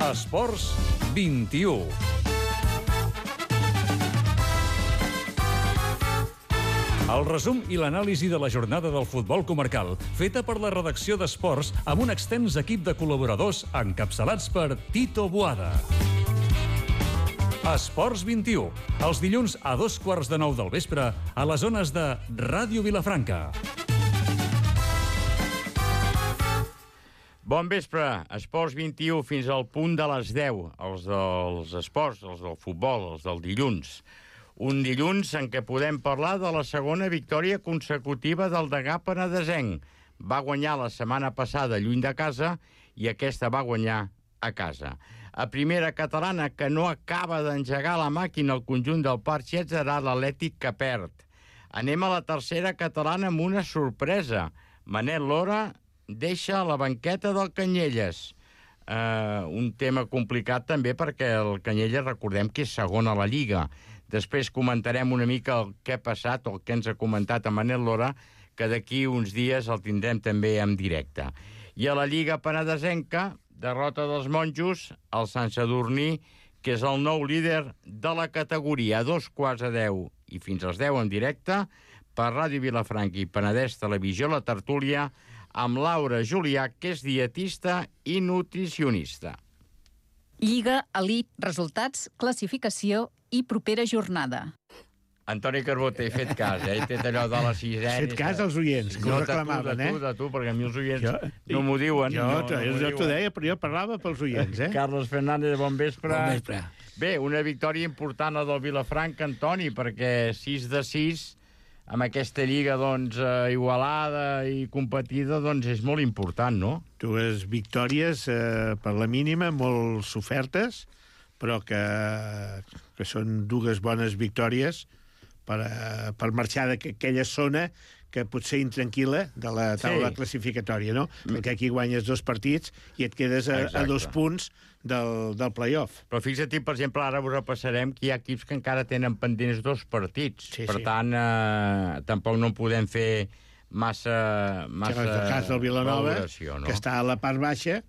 Esports 21. El resum i l'anàlisi de la jornada del futbol comarcal, feta per la redacció d'Esports amb un extens equip de col·laboradors encapçalats per Tito Boada. Esports 21, els dilluns a 8:15 del vespre a les zones de Ràdio Vilafranca. Bon vespre, Esports 21 fins al punt de les 10, els dels esports, els del futbol, els del dilluns. Un dilluns en què podem parlar de la segona victòria consecutiva del Degà penedesenc. Va guanyar la setmana passada lluny de casa i aquesta va guanyar a casa. A primera catalana, que no acaba d'engegar la màquina al conjunt del Parc Xet, serà l'Atlètic que perd. Anem a la tercera catalana amb una sorpresa. Manel Lora deixa la banqueta del Canyelles. Un tema complicat també perquè el Canyelles, recordem que és segon a la Lliga. Després comentarem una mica el que ha passat, el que ens ha comentat a Manel Lora, que d'aquí uns dies el tindrem també en directe. I a la Lliga penedesenca, derrota dels monjos, el Sant Sadurní, que és el nou líder de la categoria, a 8:15 i fins als 10 en directe, per Ràdio Vilafranca i Penedès Televisió, la tertúlia, amb Laura Julià, que és dietista i nutricionista. Lliga, elit, resultats, classificació i propera jornada. Antoni Carbó, t'he fet cas, He fet allò de la sisena. Fet cas als oients, que ho reclamaven, De tu, perquè a mi els oients no m'ho diuen. Jo t'ho deia, però jo parlava pels oients, Carlos Fernández, bon vespre. Bon vespre. Bé, una victòria important a del Vilafranca, Antoni, perquè 6 de 6 amb aquesta lliga, igualada i competida, és molt important, no? Dues victòries, per la mínima, molt sofertes, però que són dues bones victòries per marxar d'aquella zona que pot ser intranquil·la de la taula classificatòria, no? Perquè aquí guanyes 2 partits i et quedes a 2 punts del play-off. Però fixa't, per exemple, ara ho repassarem, que hi ha equips que encara tenen pendents 2 partits. Per tant, tampoc no podem fer massa el cas del Vilanova, valoració, no? Que està a la part baixa,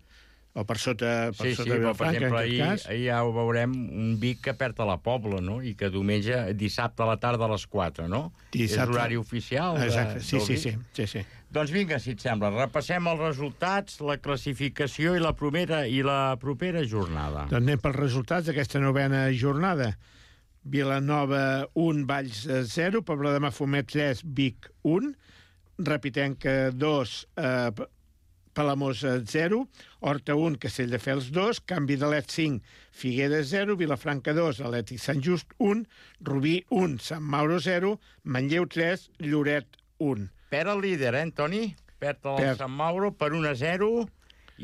o per sota però, per exemple, ahir ja ho veurem, un Vic que perd a la Pobla, no? I que dissabte a la tarda a les 4, no? És l'horari oficial. Exacte, sí. Doncs vinga, si et sembla, repassem els resultats, la classificació i la propera jornada. Doncs anem pels resultats d'aquesta novena jornada. Vilanova 1, Valls 0, Pobla de Mafumet 3, Vic 1, Repitenca 2, Palamós 0, Horta 1, Castelldefels 2, Canvi d'Alet 5, Figueres 0, Vilafranca 2, Atlètic Sant Just 1, Rubí 1, Sant Mauro 0, Manlleu 3, Lloret 1. Perd el líder, Antoni? Perd el Sant Mauro per 1-0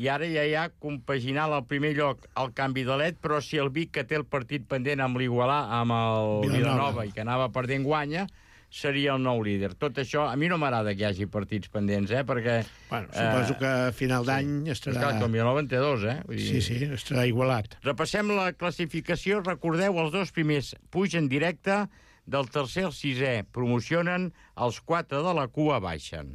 i ara ja hi ha compaginat al primer lloc el Canvi d'Alet, però si el Vic, que té el partit pendent amb l'Igualà, amb el Vilanova i que anava perdent, guanya, seria el nou líder. Tot això, a mi no m'agrada que hi hagi partits pendents, perquè... Bueno, suposo que a final d'any estarà... Clar, com Vilanova en té 2, Vull dir... Sí, estarà igualat. Repassem la classificació. Recordeu, els 2 primers pugen directe, del tercer al 6è promocionen, els 4 de la cua baixen.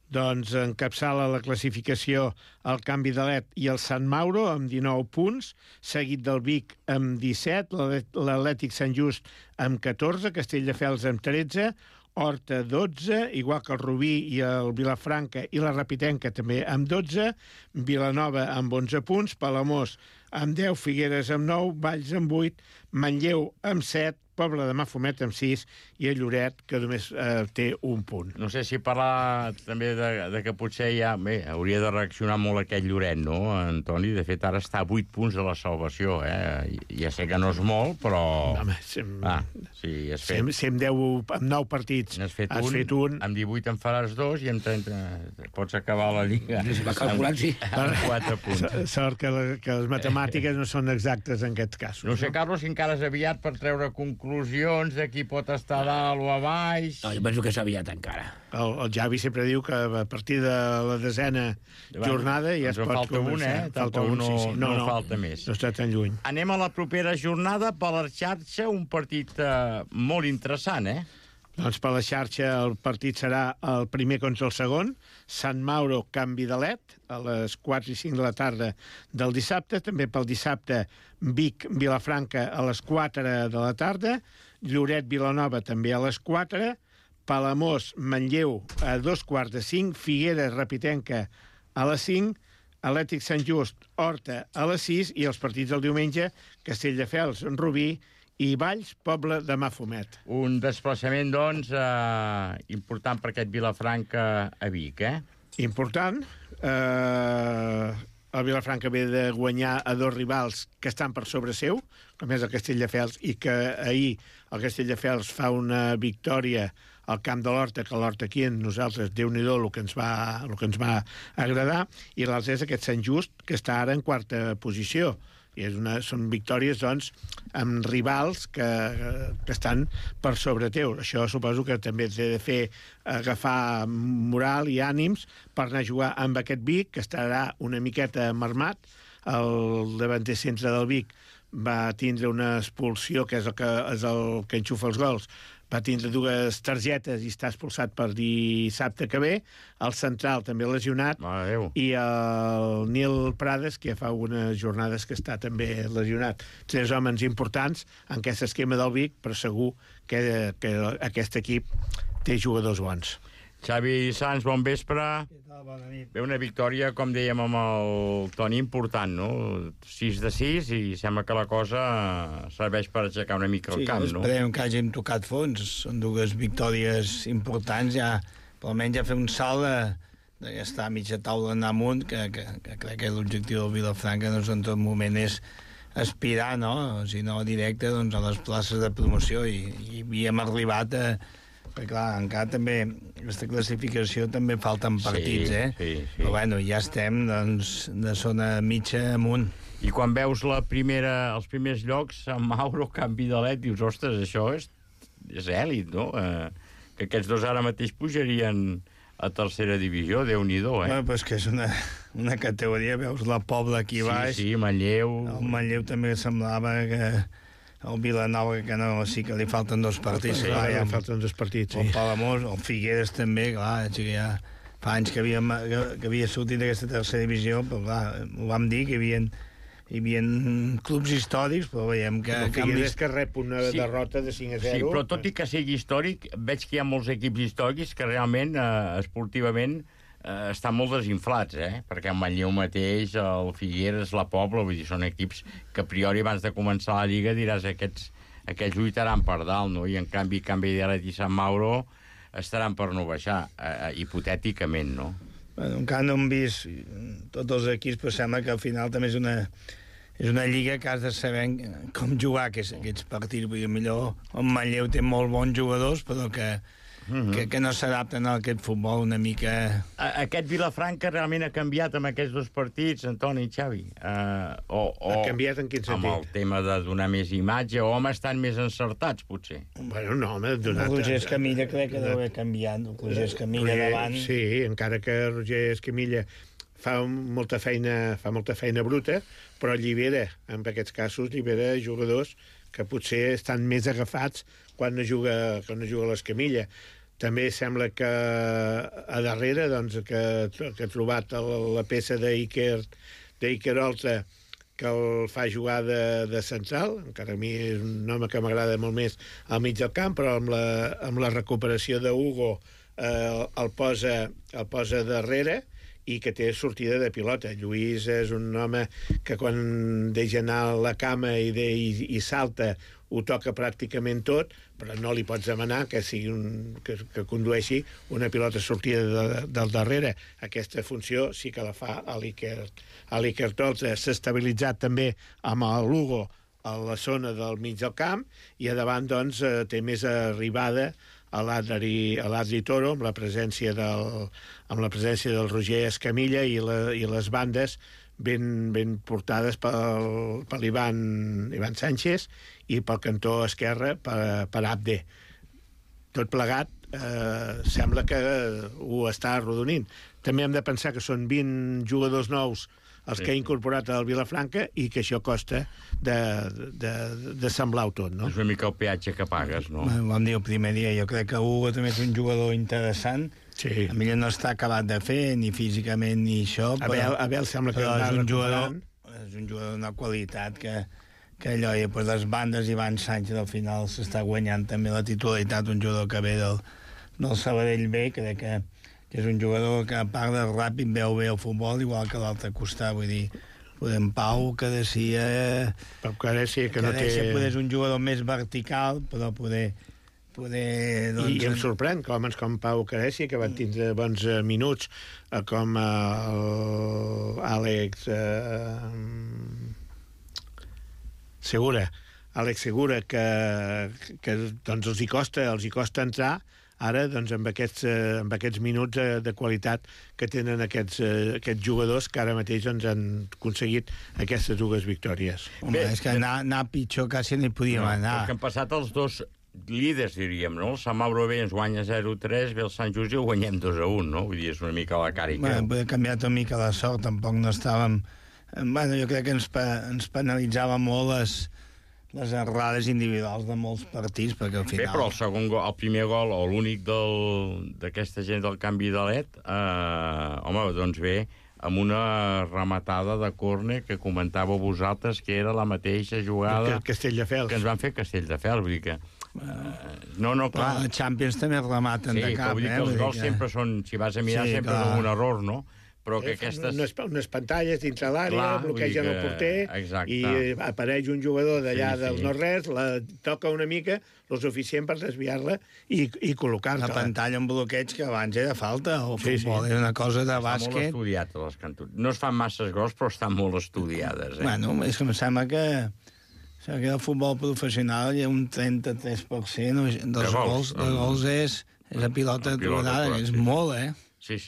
Doncs encapçala la classificació el Canvi d'Alet i el Sant Mauro amb 19 punts, seguit del Vic amb 17, l'Atlètic Sant Just amb 14, Castelldefels amb 13, Horta 12, igual que el Rubí i el Vilafranca i la Repitenca també amb 12, Vilanova amb 11 punts, Palamós amb 10, Figueres amb 9, Valls amb 8, Manlleu amb 7, Pobla de Mafumet amb 6 i el Lloret, que només té 1 punt. No sé si parlar també de que potser ja... Bé, hauria de reaccionar molt aquest Lloret, no, Antoni? De fet, ara està a 8 punts de la salvació, Ja sé que no és molt, però... Home, sí, has fet... Si amb 9 partits has fet un... Amb 18 en faràs 2 i amb 30 pots acabar la Lliga. Va calculant, sí. Amb 4 punts. Sort que les matemàtiques no són exactes en aquests casos. No sé, Carlos, si encara és aviat per treure conclusions de qui pot estar a dalt o a baix. No, jo penso que és aviat encara. El Javi sempre diu que a partir de la 10a jornada ja es pot començar. Falta un, no falta més. No està tan lluny. Anem a la propera jornada per la xarxa, un partit molt interessant, Doncs per la xarxa el partit serà el primer contra el segon, Sant Mauro, Can Vidalet, a les 4 i 5 de la tarda del dissabte. També pel dissabte Vic, Vilafranca, a les 4 de la tarda. Lloret, Vilanova, també a les 4. Palamós, Manlleu, a 2:45. Figueres, Repitenca, a les 5. Atlètic Sant Just, Horta, a les 6. I els partits del diumenge, Castelldefels, Rubí, i Valls, Poble de Mafumet. Un desplaçament, doncs, important per aquest Vilafranca a Vic, Important. El Vilafranca ve de guanyar a 2 rivals que estan per sobre seu, com és el Castelldefels, i que ahir el Castelldefels fa una victòria al camp de l'Horta, que l'Horta aquí en nosaltres, Déu-n'hi-do, el que ens va agradar, i l'altre és aquest Sant Just, que està ara en 4a posició. I són victòries, doncs, amb rivals que estan per sobre teu. Això suposo que també té de fer agafar moral i ànims per anar a jugar amb aquest Vic, que estarà una miqueta marmat. El davanter centre del Vic va tindre una expulsió, que és el que enxufa els gols, va tindre 2 targetes i està expulsat per dissabte que ve. El central també lesionat. I el Nil Prades, que fa algunes jornades que està també lesionat. 3 homes importants en aquest esquema del Vic, però segur que aquest equip té jugadors bons. Xavi Sans, bon vespre. Bona nit. Ve una victòria, com dèiem amb el Toni, important, no? 6 de 6, i sembla que la cosa serveix per aixecar una mica el camp, no? Sí, esperem que hàgim tocat fons. Són 2 victòries importants, ja, per almenys ja fer un salt d'estar a mitja taula d'anar amunt, que crec que l'objectiu del Vilafranca, doncs, en tot moment és aspirar, no? Si no directe, doncs, a les places de promoció, i havíem arribat a... Perquè, clar, encara també, aquesta classificació també falten partits, Sí. Però, bueno, ja estem, doncs, de zona mitja amunt. I quan veus els primers llocs, Sant Mauro, Can Vidalet, dius, ostres, això és èlit, no? Que aquests 2 ara mateix pujarien a 3a divisió, Déu-n'hi-do, Bueno, però és que és una categoria, veus la Pobla aquí baix. Sí, Manlleu. El Manlleu també semblava que... El Vilanova, que no, sí que li falten 2 partits. Sí, clar, ja falten 2 partits, sí. El Palamós, el Figueres també, clar, ja fa anys que havia sortit d'aquesta 3a divisió, però clar, ho vam dir, que hi havia clubs històrics, però veiem que... El Figueres que rep una derrota de 5-0. Sí, però tot i que sigui històric, veig que hi ha molts equips històrics que realment, esportivament, estan molt desinflats, perquè el Manlleu mateix, el Figueres, la Pobla, vull dir, són equips que a priori abans de començar la Lliga diràs aquests lluitaran per dalt, no? I en canvi Can Vidalet i Sant Mauro estaran per no baixar, hipotèticament, no? Bueno, encara no hem vist tots els equips, però sembla que al final també és una lliga que has de saber com jugar aquests partits. Vull dir, millor el Manlleu té molt bons jugadors, però que no s'adapten a aquest futbol una mica... Aquest Vilafranca realment ha canviat amb aquests 2 partits, Antoni i Xavi? Ha canviat en quin sentit? Amb el tema de donar més imatge, o home estan més encertats, potser? Bueno, no, home, donat... Roger Escamilla crec que deu haver canviat. Roger Escamilla davant... Sí, encara que Roger Escamilla fa molta feina bruta, però allibera, en aquests casos, jugadors que potser estan més agafats quan no juga l'Escamilla. També sembla que a darrere, doncs, que ha trobat la peça d'Iker Oltra, que el fa jugar de central, encara a mi és un home que m'agrada molt més al mig del camp, però amb la recuperació d'Hugo el posa darrere, i que té sortida de pilota. Lluís és un home que quan deixa anar la cama i salta ho toca pràcticament tot, però no li pots demanar que que condueixi una pilota sortida del darrere. Aquesta funció sí que la fa a l'Iker Oltra. S'ha estabilitzat també amb l'Hugo a la zona del mig del camp, i a davant, doncs, té més arribada a l'Adri Toro, amb la presència del Roger Escamilla, i les bandes ben portades per l'Ivan Sánchez, i pel cantó esquerre per Abde. Tot plegat sembla que ho està arrodonint. També hem de pensar que són 20 jugadors nous els que ha incorporat al Vilafranca i que això costa de semblar-ho tot, no? És una mica el peatge que pagues, no? Vam dir el primer dia, jo crec que Hugo també és un jugador interessant. Sí. A millor no està acabat de fer, ni físicament ni això, Abel sembla que però va és un recuperant. jugador d'una qualitat que allò, i després les bandes, Ivan Sánchez al final s'està guanyant també la titularitat, un jugador que ve del Sabadell B, crec que és un jugador que a part de ràpid veu bé el futbol, igual que l'altre costat, vull dir, podem Pau, que decía Pau Caressi, que no té... Poder és un jugador més vertical, però poder doncs... I em sorprèn que homes com Pau Caressi, que van tindre bons minuts, com Àlex Segura, que doncs els hi costa entrar ara doncs, amb aquests minuts de qualitat que tenen aquests jugadors que ara mateix doncs, han aconseguit aquestes dues victòries. Home, és que anar pitjor quasi ni podíem anar. Perquè han passat els dos líders, diríem, no? El Sant Mauro B ens guanya 0-3, ve el Sant Just i ho guanyem 2-1, no? Vull dir, és una mica la cara i creu. Bueno, ha canviat una mica la sort, tampoc no estàvem... Bueno, jo crec que ens penalitzava molt les errades individuals de molts partits, perquè al final... Bé, però el primer gol, o l'únic d'aquesta gent del canvi de LED, home, doncs ve amb una rematada de córner que comentàveu vosaltres que era la mateixa jugada Castelldefels. Que ens van fer Castelldefels, vull dir que... No, clar. La Champions també rematen de cap, vull dir que els gols sempre són, si vas a mirar, sempre són un error, no? Però que aquestes... Unes pantalles dintre l'àrea, bloquegen el porter, i apareix un jugador d'allà del no-res, la toca una mica, el suficient per desviar-la i col·locar-la. La pantalla amb bloqueig que abans era falta, o futbol, era una cosa de bàsquet. Està molt estudiat, les cantons. No es fan masses gols, però estan molt estudiades. Bueno, és que em sembla que el futbol professional hi ha un 33% dels gols és a pilota aturada, que és molt, Sí.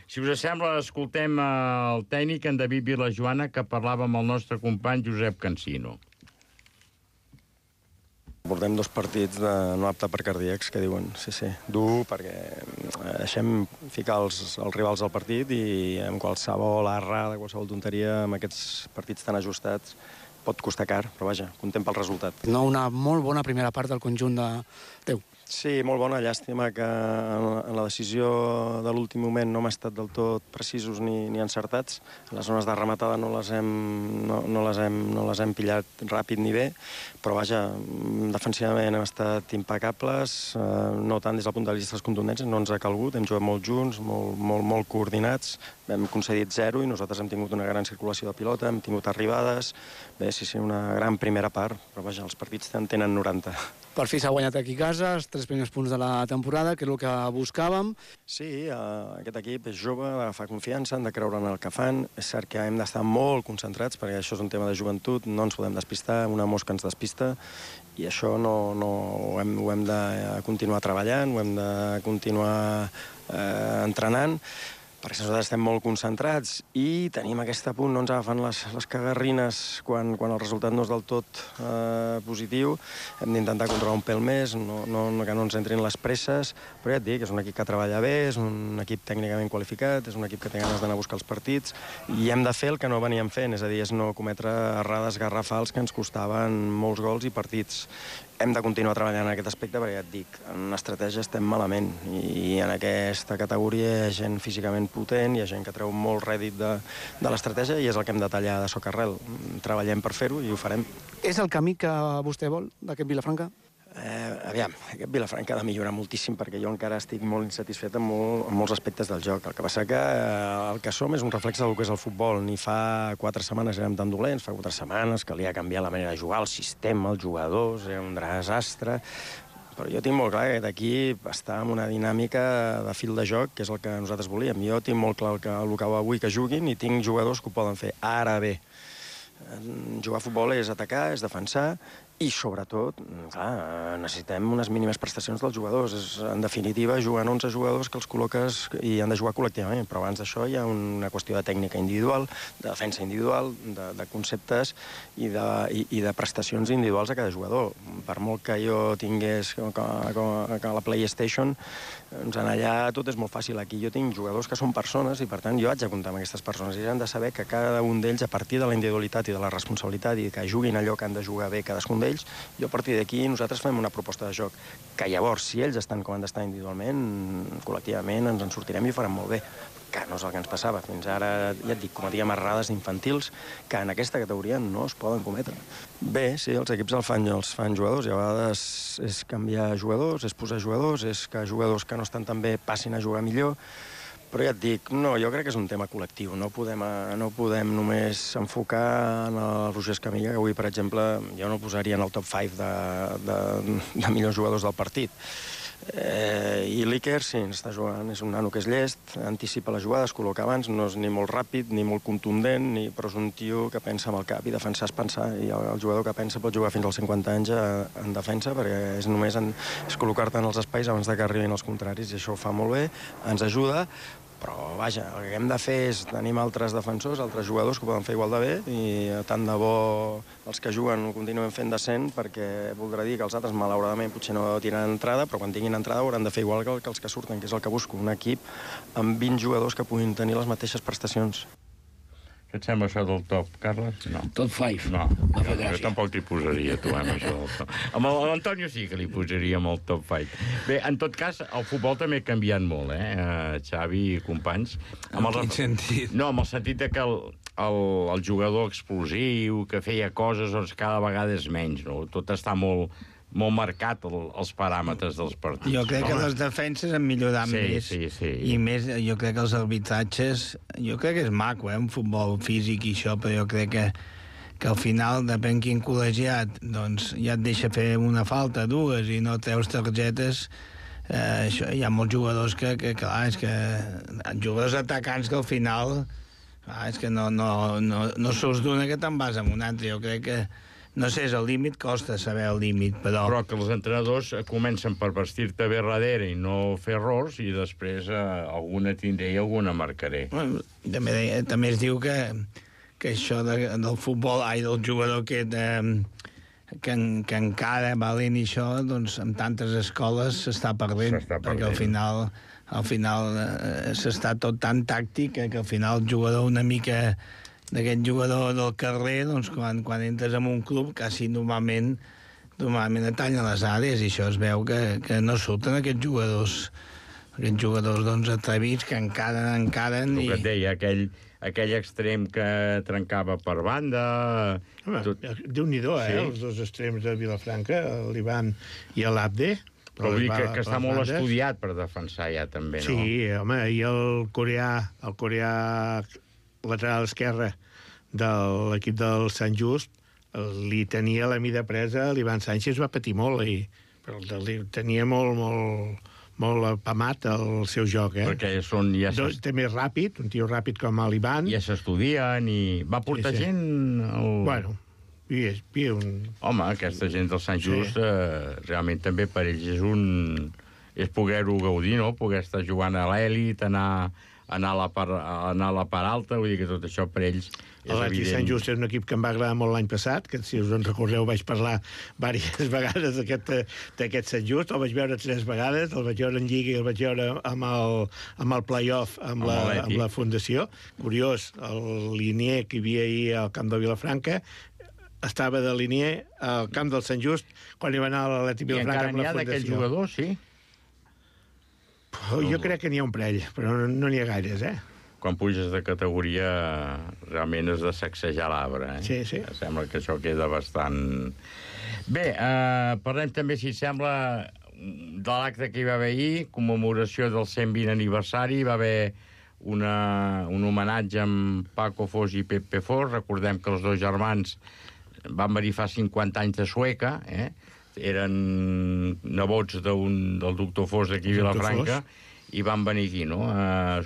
Si us sembla, escoltem el tècnic, en David Vilajoana, que parlava amb el nostre company Josep Cansino. Portem 2 partits de no apte per cardíacs, que diuen, sí, dur, perquè deixem ficar els rivals al partit i amb qualsevol errada, qualsevol tonteria, amb aquests partits tan ajustats, pot costar car, però vaja, content pel resultat. No, una molt bona primera part del conjunt de teu. Sí, molt bona. Llàstima que en la decisió de l'últim moment no hem estat del tot precisos ni encertats. Les zones de rematada no les hem pillat ràpid ni bé, però vaja, defensivament hem estat impecables, no tant des del punt de vista de les contundències, no ens ha calgut, hem jugat molt junts, molt coordinats, hem concedit 0 i nosaltres hem tingut una gran circulació de pilota, hem tingut arribades, bé, sí, una gran primera part, però vaja, els partits en tenen 90. Per fi s'ha guanyat aquí a casa, els 3 primers punts de la temporada, que és el que buscàvem. Sí, aquest equip és jove, fa confiança, han de creure en el que fan. És cert que hem d'estar molt concentrats, perquè això és un tema de joventut, no ens podem despistar, una mosca ens despista, i això ho hem de continuar treballant, ho hem de continuar entrenant, perquè nosaltres estem molt concentrats i tenim aquest punt, no ens agafen les cagarrines quan el resultat no és del tot positiu. Hem d'intentar controlar un pèl més, que no ens entrin les presses, però ja et dic, és un equip que treballa bé, és un equip tècnicament qualificat, és un equip que té ganes d'anar a buscar els partits, i hem de fer el que no veníem fent, és a dir, és no cometre errades garrafals que ens costaven molts gols i partits. Hem de continuar treballant en aquest aspecte, perquè ja et dic, en estratègia estem malament, i en aquesta categoria hi ha gent físicament potent, hi ha gent que treu molt rèdit de l'estratègia, i és el que hem de tallar de socarrel. Treballem per fer-ho i ho farem. És el camí que vostè vol, d'aquest Vilafranca? Aviam, aquest Vilafranca ha de millorar moltíssim, perquè jo encara estic molt insatisfet amb molts aspectes del joc. El que passa que el que som és un reflex del que és el futbol. Ni fa 4 setmanes érem tan dolents, fa 4 setmanes calia canviar la manera de jugar, el sistema, els jugadors, era un desastre. Però jo tinc molt clar que d'aquí està en una dinàmica de fil de joc, que és el que nosaltres volíem. Jo tinc molt clar el que vull que juguin i tinc jugadors que ho poden fer. Ara bé, Jugar a futbol és atacar, és defensar, i, sobretot, clar, necessitem unes mínimes prestacions dels jugadors. En definitiva, juguen 11 jugadors que els col·loques i han de jugar col·lectivament, però abans d'això hi ha una qüestió de tècnica individual, de defensa individual, de conceptes i de prestacions individuals a cada jugador. Per molt que jo tingués que la PlayStation, doncs allà tot és molt fàcil. Aquí jo tinc jugadors que són persones i, per tant, jo haig de comptar amb aquestes persones i han de saber que cada un d'ells, a partir de la individualitat i de la responsabilitat i que juguin allò que han de jugar bé cadascun d'ells, jo a partir d'aquí nosaltres fem una proposta de joc que llavors, si ells estan com han d'estar individualment, col·lectivament ens en sortirem i ho farem molt bé, que no és el que ens passava. Fins ara, ja et dic, cometíem errades infantils que en aquesta categoria no es poden cometre. Bé, sí, els equips els fan jugadors i a vegades és canviar jugadors, és posar jugadors, és que jugadors que no estan tan bé passin a jugar millor. Però ja et dic, no, jo crec que és un tema col·lectiu. No podem només enfocar en el Roger Escamilla, que avui, per exemple, jo no posaria en el top 5 de millors jugadors del partit. I l'Iker, sí, està jugant, és un nano que és llest, anticipa les jugades, col·loca abans, no és ni molt ràpid, ni molt contundent, però és un tio que pensa amb el cap, i defensar és pensar, i el jugador que pensa pot jugar fins als 50 anys en defensa, perquè és només col·locar-te en els espais abans que arribin els contraris, i això ho fa molt bé, ens ajuda, però, vaja, el que hem de fer és tenim altres defensors, altres jugadors que ho poden fer igual de bé, i tant de bo els que juguen ho continuen fent decent, perquè voldrà dir que els altres, malauradament, potser no tenen entrada, però quan tinguin entrada hauran de fer igual que els que surten, que és el que busco, un equip amb 20 jugadors que puguin tenir les mateixes prestacions. Què et sembla això del top, Carles? No. Top 5. No, jo tampoc t'hi posaria, tu, amb això del top. Amb l'Antonio sí que li posaria amb el top 5. Bé, en tot cas, el futbol també ha canviat molt, Xavi i companys. En quin sentit? No, amb el sentit de que el jugador explosiu, que feia coses, doncs cada vegada és menys, no? Tot està molt marcat, els paràmetres dels partits. Jo crec que les defenses han millorat més. Sí. I més, jo crec que els arbitratges... Jo crec que és maco, un futbol físic i això, però jo crec que al final, depèn quin col·legiat, doncs ja et deixa fer una falta, dues, i no treus targetes. Això, hi ha molts jugadors que clar, és que... Jugadors atacants que al final... Clar, és que no surts d'una que te'n vas amb una altra. Jo crec que... No sé, és el límit, costa saber el límit, però... Però que els entrenadors comencen per vestir-te bé darrere i no fer errors, i després alguna tindré i alguna marcaré. Bueno, també es diu que això del futbol, del jugador que encara valent i això, doncs amb tantes escoles s'està perdent. Perquè al final s'està tot tan tàctic que al final el jugador una mica... d'aquest jugador del carrer, doncs, quan entres en un club, quasi normalment et tallen les àrees, i això es veu que no surten aquests jugadors doncs, atrevits, que encaren... El que et deia, aquell extrem que trencava per banda... Home, Déu-n'hi-do, sí. Els dos extrems de Vilafranca, l'Ivan i l'Abde. Però vull dir que està molt estudiat per defensar ja, també, no? Sí, home, i el coreà lateral esquerre de l'equip del Sant Just li tenia la mida presa, l'Ivan Sánchez va patir molt, però tenia molt apamat el seu joc, Perquè són... També ràpid, un tio ràpid com l'Ivan. Ja s'estudien i... Va portar gent... Bueno, Home, aquesta gent del Sant Just, realment també per ells és poder-ho gaudir, no? Poder estar jugant a l'èlit, anar a la part alta, vull dir que tot això per ells és L'Atlètic evident. Sant Just és un equip que em va agradar molt l'any passat, que si us en recordeu vaig parlar diverses vegades d'aquest Sant Just, el vaig veure 3 vegades, el vaig veure en Lliga i el vaig veure amb el play-off amb la Fundació. Curiós, el linier que hi havia ahir al camp de Vilafranca estava de linier al camp del Sant Just quan hi va anar a l'Atlètic Vilafranca amb la Fundació. I encara n'hi ha d'aquells jugadors, sí? Jo crec que n'hi ha un parell, però no n'hi ha gaires, Quan puges de categoria, realment has de sacsejar l'arbre, Sí. Sembla que això queda bastant... Bé, parlem també, si sembla, de l'acte que hi va haver ahir, commemoració del 120 aniversari, va haver un homenatge amb Paco Fos i Pepe Fos. Recordem que els dos germans van venir fa 50 anys de Sueca, eren nebots del doctor Fos d'aquí a Vilafranca, i van venir aquí, no?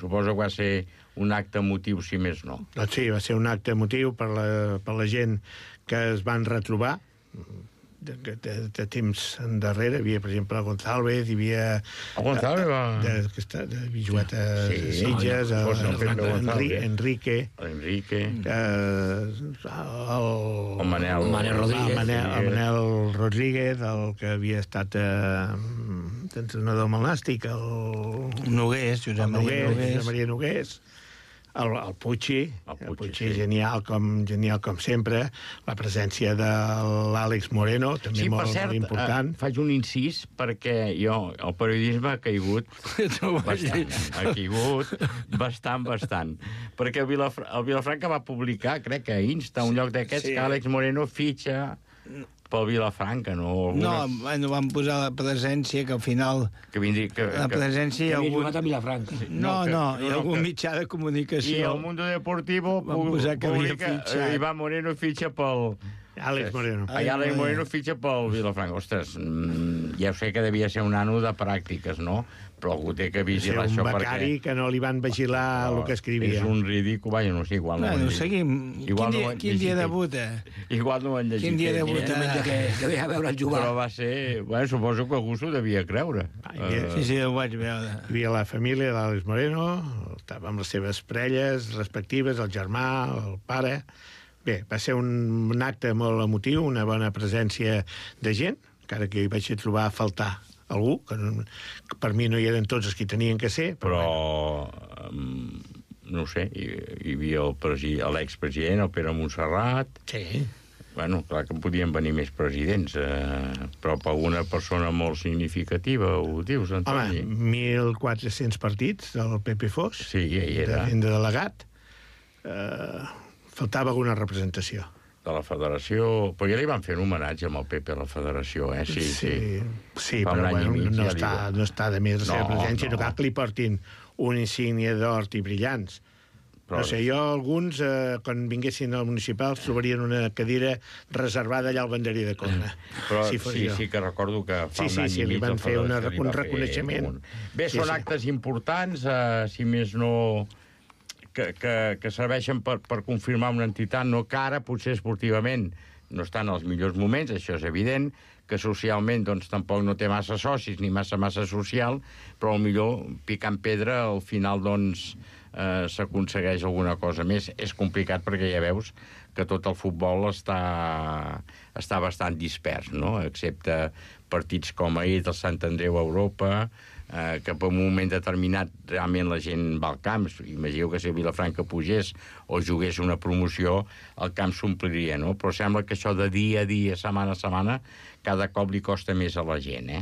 Suposo que va ser un acte emotiu, si més no. Doncs sí, va ser un acte emotiu per la gent que es van retrobar de temps endarrere. Hi havia, per exemple, González, hi havia... El González va... De Vijueta Sitges, Enrique... El Manel Rodríguez. El Manel Rodríguez, el que havia estat entrenador del Nàstic, el Nogués, Josep Maria Nogués, el Puig, sí. genial com sempre, la presència de l'Àlex Moreno, també molt important. Faig un incís, perquè el periodisme ha caigut bastant. Perquè el Vilafranca va publicar, crec que a Insta, un lloc d'aquests, que Àlex Moreno fitxa pel Vilafranca, no? No, van posar la presència, que al final... La presència... Que havia jugat a Vilafranca. No, hi ha algun mitjà de comunicació... I el Mundo Deportivo publica Iván Moreno fitxa pel... Àlex Moreno. Àlex Moreno fitxa pel Vilafranca. Ostres, ja ho sé que devia ser un ano de pràctiques, no? Però algú té que vigilar això, perquè... Un becari que no li van vigilar el que escrivia. És un ridícul, vaja, no sé, igual no ho han llegit. Seguim. Quin dia debuta? Igual no ho han llegit. Quin dia debuta? Que ve a veure el jugar. Però va ser... Bueno, suposo que algú s'ho devia creure. Sí, ho vaig veure. Hi havia la família d'Àlex Moreno, estava amb les seves parelles respectives, el germà, el pare... Bé, va ser un acte molt emotiu, una bona presència de gent, encara que hi vaig trobar a faltar algú, que per mi no hi eren tots els que tenien que ser. Però no ho sé, hi havia l'expresident, el Pere Montserrat... Sí. Bueno, clar que podien venir més presidents, però per una persona molt significativa, ho dius, Antoni? Home, 1.400 partits del Pepe Fos. Sí, ja hi era. De delegat. Faltava alguna representació. De la federació... Però ja li van fer un homenatge amb el Pepe a la federació, eh? Sí, però bueno, no està de més la seva presència. No cal que li portin una insígnia d'or i brillants. Però... No sé, alguns, quan vinguessin al municipal, trobarien una cadira reservada allà al banderí de Corna. Però sí que recordo que fa un any i mig... li van fer un reconeixement. Bé, són actes importants, si més no... que serveixen per confirmar una entitat, no que ara, potser esportivament, no estan als millors moments, això és evident, que socialment doncs, tampoc no té massa socis ni massa social, però millor picant pedra al final doncs, s'aconsegueix alguna cosa més. És complicat perquè ja veus que tot el futbol està bastant dispers, no? Excepte partits com ahir del Sant Andreu a Europa, que per un moment determinat realment la gent va al camp. Imagineu que si Vilafranca pugés o jugués una promoció, el camp s'ompliria, no? Però sembla que això de dia a dia, setmana a setmana, cada cop li costa més a la gent, eh?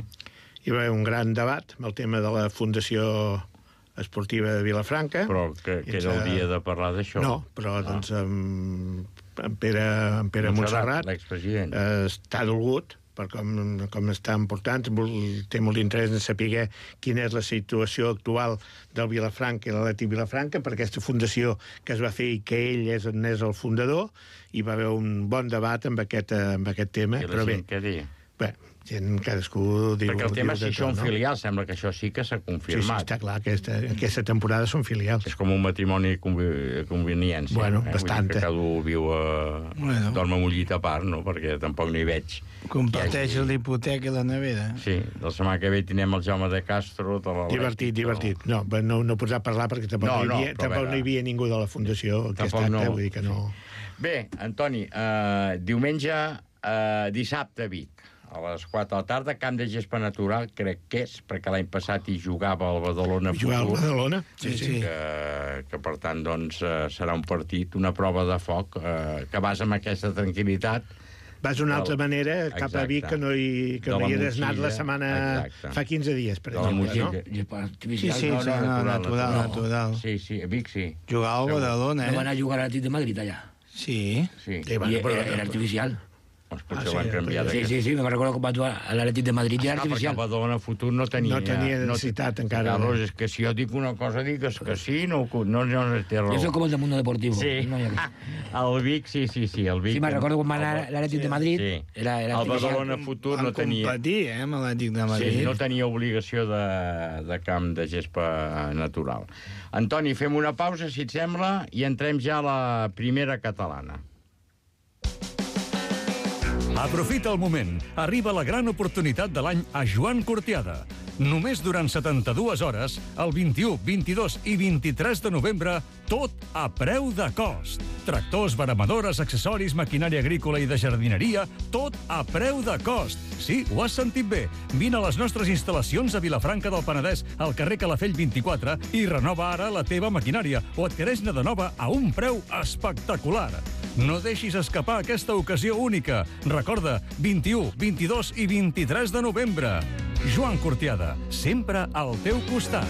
Hi va haver un gran debat amb el tema de la Fundació Esportiva de Vilafranca. Però que era el dia de parlar d'això. No, però doncs en Pere Montserrat l'expresident està dolgut per com estan portant, té molt d'interès en saber quina és la situació actual del Vilafranca i l'Atlètic Vilafranca, per aquesta fundació que es va fer i que ell és el fundador, i va haver un bon debat amb aquest tema. I la gent què diu? Bé, cadascú diu... Perquè el tema si són filials, sembla que això sí que s'ha confirmat. Sí, està clar, aquesta temporada són filials. És com un matrimoni de conveniència. Bueno, bastant. Que cada un viu dorm amb un llit a part, no? Perquè tampoc no hi veig. Comparteix l'hipoteca i la nevera. Sí, la setmana que ve tindrem el Jaume de Castro... Divertit. No pots parlar perquè tampoc no hi havia ningú de la Fundació aquest acte, vull dir que no... Bé, Antoni, diumenge, dissabte a Vic, a les 4 de la tarda, camp de gespa natural, crec que és, perquè l'any passat hi jugava el Badalona Futur. Jugava el Badalona, sí. Que per tant, doncs, serà un partit, una prova de foc, que vas amb aquesta tranquil·litat. Vas d'una altra manera cap a Vic que no hi eres anat la setmana... Fa 15 dies, per exemple, no? Sí, natural. Sí, a Vic sí. Jugava al Badalona, No van a jugar a l'Atlètic de Madrid, allà. Sí. I era artificial. Doncs potser l'han canviat. Sí, me recordo quan va jugar a l'Atlètic de Madrid i era Perquè artificial. el Badalona Futur no tenia necessitat encara. Carlos, és que si jo dic una cosa, digues que sí, no té raó. Yo soy como el del Mundo Deportivo. Sí. No, El Vic, sí, el Vic. Sí, me recordo quan va anar a l'Atlètic de Madrid. Sí. Era el artificial. Badalona Futur no tenia... Van competir, amb l'Atlètic de Madrid. Sí, no tenia obligació de camp de gespa natural. Antoni, fem una pausa, si et sembla, i entrem ja a la primera catalana. Aprofita el moment. Arriba la gran oportunitat de l'any a Joan Cortiada. Només durant 72 hores, el 21, 22 i 23 de novembre, tot a preu de cost. Tractors, veremadores, accessoris, maquinària agrícola i de jardineria, tot a preu de cost. Sí, ho has sentit bé. Vine a les nostres instal·lacions a Vilafranca del Penedès, al carrer Calafell 24, i renova ara la teva maquinària o adquireix-ne de nova a un preu espectacular. No deixis escapar aquesta ocasió única. Recorda, 21, 22 i 23 de novembre. Joan Cortiada, sempre al teu costat.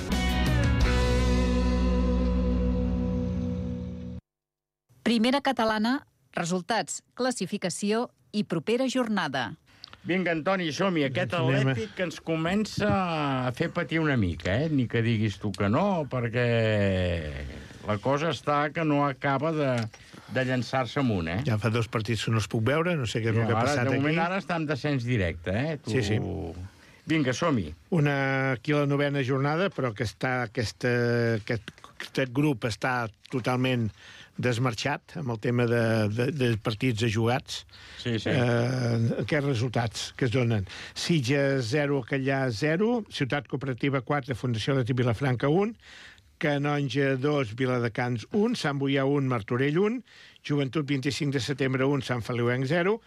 Primera catalana, resultats, classificació i propera jornada. Vinga, Antoni, som-hi. Aquest Atlètic que ens comença a fer patir una mica, Ni que diguis tu que no, perquè la cosa està que no acaba de llançar-se amunt, Ja fa 2 partits que no els puc veure, no sé què és el que ha passat aquí. De moment ara està en descens directe, Sí. Vinga, som-hi. Aquí a la 9ª jornada, però que aquest grup està totalment desmarxat amb el tema de partits jugats. Sí. Aquests resultats que es donen. Sitges 0, Callà 0, Ciutat Cooperativa 4, Fundació Atlètic Vilafranca 1, Canonja 2, Viladecans 1, Sant Boià 1, Martorell 1, Joventut 25 de setembre 1, Sant Feliuenc 0,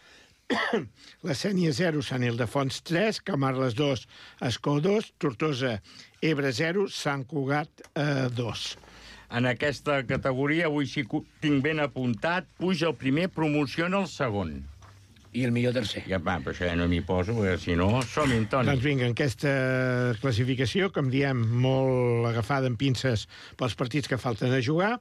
la Sénia 0, Sant Ildefons 3, Camarles 2, Escó 2, Tortosa, Ebre 0, Sant Cugat 2. En aquesta categoria, avui sí que tinc ben apuntat, puja el primer, promociona el segon. I el millor tercer. Però això ja no m'hi poso, perquè si no, som-hi, Antoni. Doncs vinga, aquesta classificació, com diem, molt agafada en pinces pels partits que falten a jugar,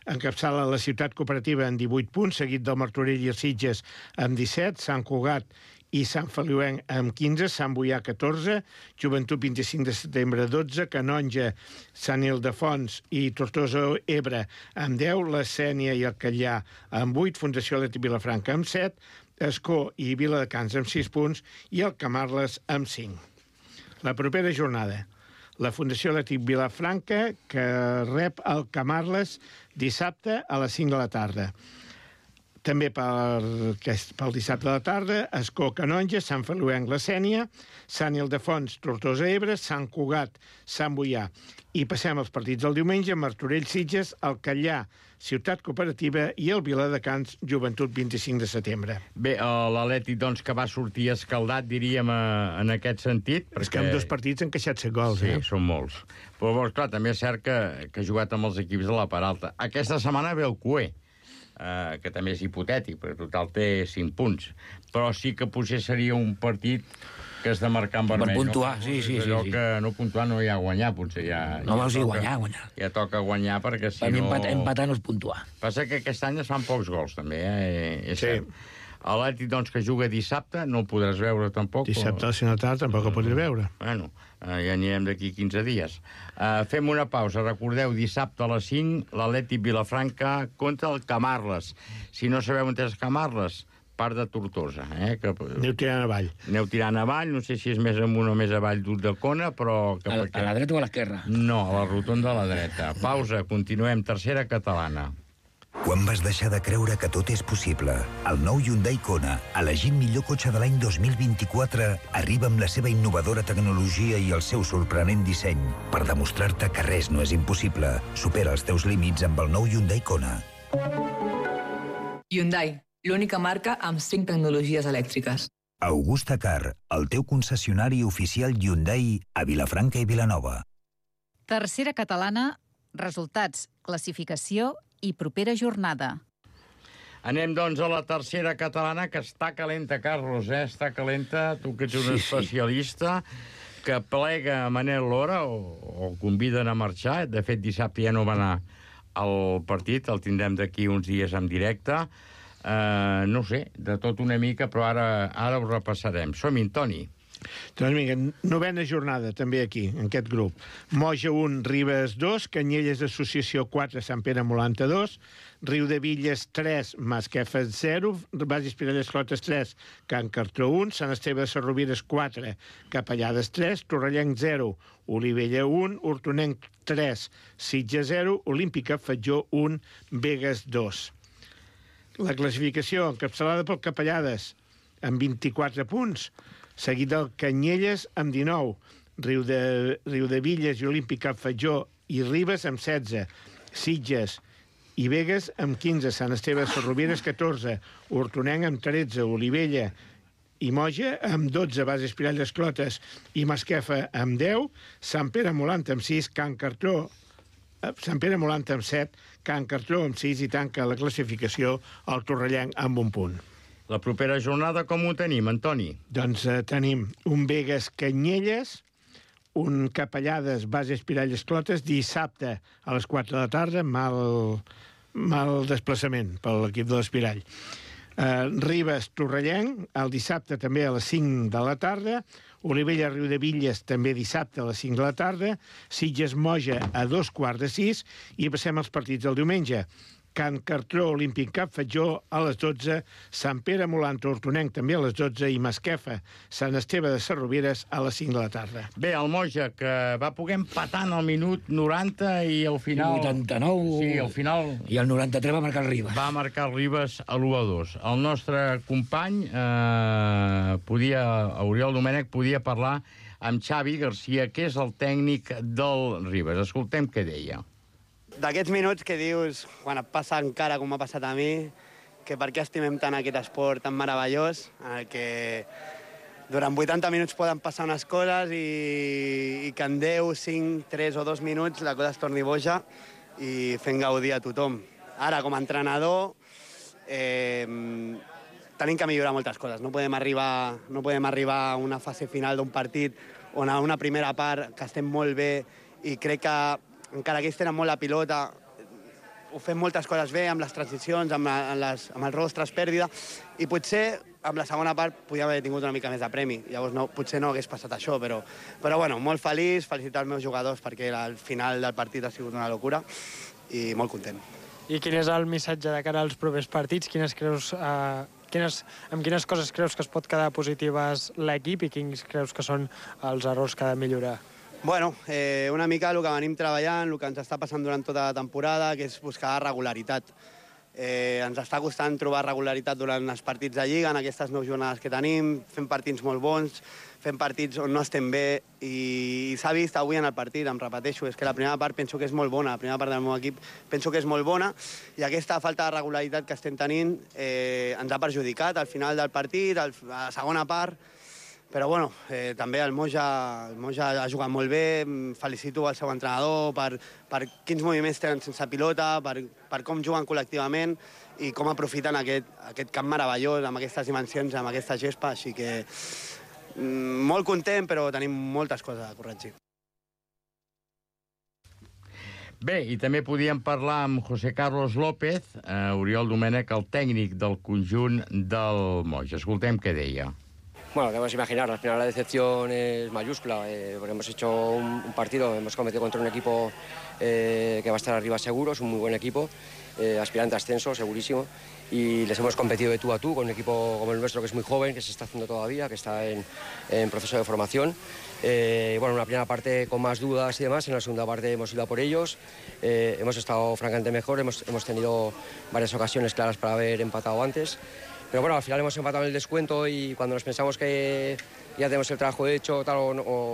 encapçala la Ciutat Cooperativa en 18 punts, seguit del Martorell i els Sitges amb 17, Sant Cugat i Sant Feliuenc amb 15, Sant Boià 14, Joventut 25 de setembre 12, Canonja, Sant Ildefons i Tortosa Ebre amb 10, la Sénia i el Callà amb 8, Fundació Atlètic Vilafranca amb 7, Escó i Viladecans amb 6 punts i el Camarles amb 5. La propera jornada, la Fundació Atlètic Vilafranca, que rep el Camarles dissabte a les 5 de la tarda. També pel dissabte de la tarda, Escó, Canonja, Sant Feliuenc, la Sénia, Sant Ildefons, Tortosa Ebre, Sant Cugat, Sant Boià. I passem als partits del diumenge, Martorell, Sitges, el Callà, Ciutat Cooperativa i el Viladecans, Joventut 25 de setembre. Bé, l'Atlètic, doncs, que va sortir escaldat, diríem, en aquest sentit. És que amb 2 partits han queixat-se gols, Sí, són molts. Però, clar, també és cert que ha jugat amb els equips de la part alta. Aquesta setmana ve el Cué, que també és hipotètic, perquè total té 5 punts. Però sí que potser seria un partit que has de marcar en vermell. Per puntuar, sí. Allò que no puntuar no hi ha guanyar, potser ja... No vols dir guanyar. Ja toca guanyar, perquè si no... Per mi empatar no és puntuar. Passa que aquest any es fan pocs gols, també, És cert. L'Atlètic, doncs, que juga dissabte, no el podràs veure tampoc. Dissabte a les 5 de la tarda tampoc el podré veure. Bueno, ja anirem d'aquí 15 dies. Fem una pausa. Recordeu, dissabte a les 5, l'Atlètic Vilafranca contra el Camarles. Si no sabeu on és Camarles, part de Tortosa. Aneu tirant avall. Aneu tirant avall, no sé si és més amunt o més avall d'Ulldecona, però... A la dreta o a l'esquerra? No, a la rotonda a la dreta. Pausa, continuem. Tercera catalana. Quan vas deixar de creure que tot és possible? El nou Hyundai Kona, elegit millor cotxe de l'any 2024, arriba amb la seva innovadora tecnologia i el seu sorprenent disseny per demostrar-te que res no és impossible. Supera els teus límits amb el nou Hyundai Kona. Hyundai, l'única marca amb 5 tecnologies elèctriques. Augusta Car, el teu concessionari oficial Hyundai a Vilafranca i Vilanova. Tercera catalana, resultats, classificació i propera jornada. Anem, doncs, a la tercera catalana, que està calenta, Carlos, Està calenta, tu que ets un especialista, que plega Manel Lora, o conviden a marxar. De fet, dissabte ja no va anar al partit, el tindrem d'aquí uns dies en directe. no sé, de tot una mica, però ara ho repassarem. Som-hi, Toni. Doncs vinga, novena jornada també aquí, en aquest grup. Moja 1, Ribes 2, Canyelles Associació 4, Sant Pere Molanta 2, Riudevilles 3, Masquefa 0, Bages Pirelles Clotes 3, Can Cartró 1, Sant Esteve de Sarrovires 4, Capellades 3, Torrellenc 0, Olivella 1, Hortonenc 3, Sitges 0, Olímpica Fatjó 1, Begues 2. La classificació encapçalada pel Capellades amb 24 punts, seguit del Canyelles amb 19, Riudevilles i Olímpica Fatjó i Ribes amb 16, Sitges i Begues amb 15, Sant Esteve de Sarrovires 14, Hortonenc amb 13, Olivella i Moja amb 12, Bases Pirelles Clotes i Masquefa amb 10, Sant Pere Molanta amb 6, Sant Pere Molanta amb 7, Can Cartró amb 6 i tanca la classificació el Torrellenc amb 1 punt. La propera jornada com ho tenim, Antoni? Doncs tenim un Begues Canyelles, un Capellades Bases Pirelles Clotes, dissabte a les 4 de la tarda, mal desplaçament per l'equip de l'Espirall. Ribes Torrellenc, el dissabte també a les 5 de la tarda, Olivella Riudevilles també dissabte a les 5 de la tarda, Sitges Moja a 5:15 i passem als partits del diumenge. Can Cartró, Olímpic Cap Fatjó a les 12, Sant Pere Molanta Hortonenc també a les 12 i Masquefa, Sant Esteve de Sarrovires a les 5 de la tarda. Bé, el Moja, que va poder empatar en el minut 90 i al final... 89... Sí, al final... I el 93 va marcar el Ribes. Va marcar el Ribes a l'1-2. El nostre company, Oriol Domènech, podia parlar amb Xavi Garcia, que és el tècnic del Ribes. Escoltem què deia. D'aquests minuts que dius, quan et passa encara com m'ha passat a mi, que per què estimem tant aquest esport tan meravellós, en el que durant 80 minuts poden passar unes coses i que en 10, 5, 3 o 2 minuts la cosa es torni boja i fent gaudir a tothom. Ara, com a entrenador, tenim que millorar moltes coses. No podem arribar a una fase final d'un partit on a una primera part que estem molt bé i crec que encara que ells tenen molt la pilota, ho fem moltes coses bé, amb les transicions, amb els robos tras pèrdua, i potser amb la segona part podíem haver tingut una mica més de premi. Llavors potser no hagués passat això, però bueno, molt feliç, felicitar els meus jugadors perquè el final del partit ha sigut una locura i molt content. I quin és el missatge de cara als propers partits? Amb quines coses creus que es pot quedar positives l'equip i quins creus que són els errors que ha de millorar? Bueno, una mica el que venim treballant, el que ens està passant durant tota la temporada, que és buscar regularitat. Ens està costant trobar regularitat durant els partits de Lliga, en aquestes 9 jornades que tenim, fent partits molt bons, fent partits on no estem bé, i s'ha vist avui en el partit, em repeteixo, és que la primera part penso que és molt bona, la primera part del meu equip penso que és molt bona, i aquesta falta de regularitat que estem tenint ens ha perjudicat al final del partit, a la segona part. Però bueno, també el Moja ha jugat molt bé, felicito el seu entrenador per quins moviments tenen sense pilota, per com juguen col·lectivament i com aprofiten aquest camp meravellós, amb aquestes dimensions, amb aquesta gespa, així que molt content, però tenim moltes coses a corregir. Bé, i també podíem parlar amb José Carlos López, Oriol Domènech, el tècnic del conjunt del Moja. Escoltem què deia. Bueno, debemos imaginar, al final la decepción es mayúscula, porque hemos hecho un partido, hemos competido contra un equipo que va a estar arriba seguro, es un muy buen equipo, aspirante a ascenso, segurísimo, y les hemos competido de tú a tú con un equipo como el nuestro, que es muy joven, que se está haciendo todavía, que está en proceso de formación. Bueno, una primera parte con más dudas y demás, en la segunda parte hemos ido a por ellos, hemos estado francamente mejor, hemos tenido varias ocasiones claras para haber empatado antes. Pero bueno, al final hemos empatado en el descuento y cuando nos pensamos que ya tenemos el trabajo hecho, tal,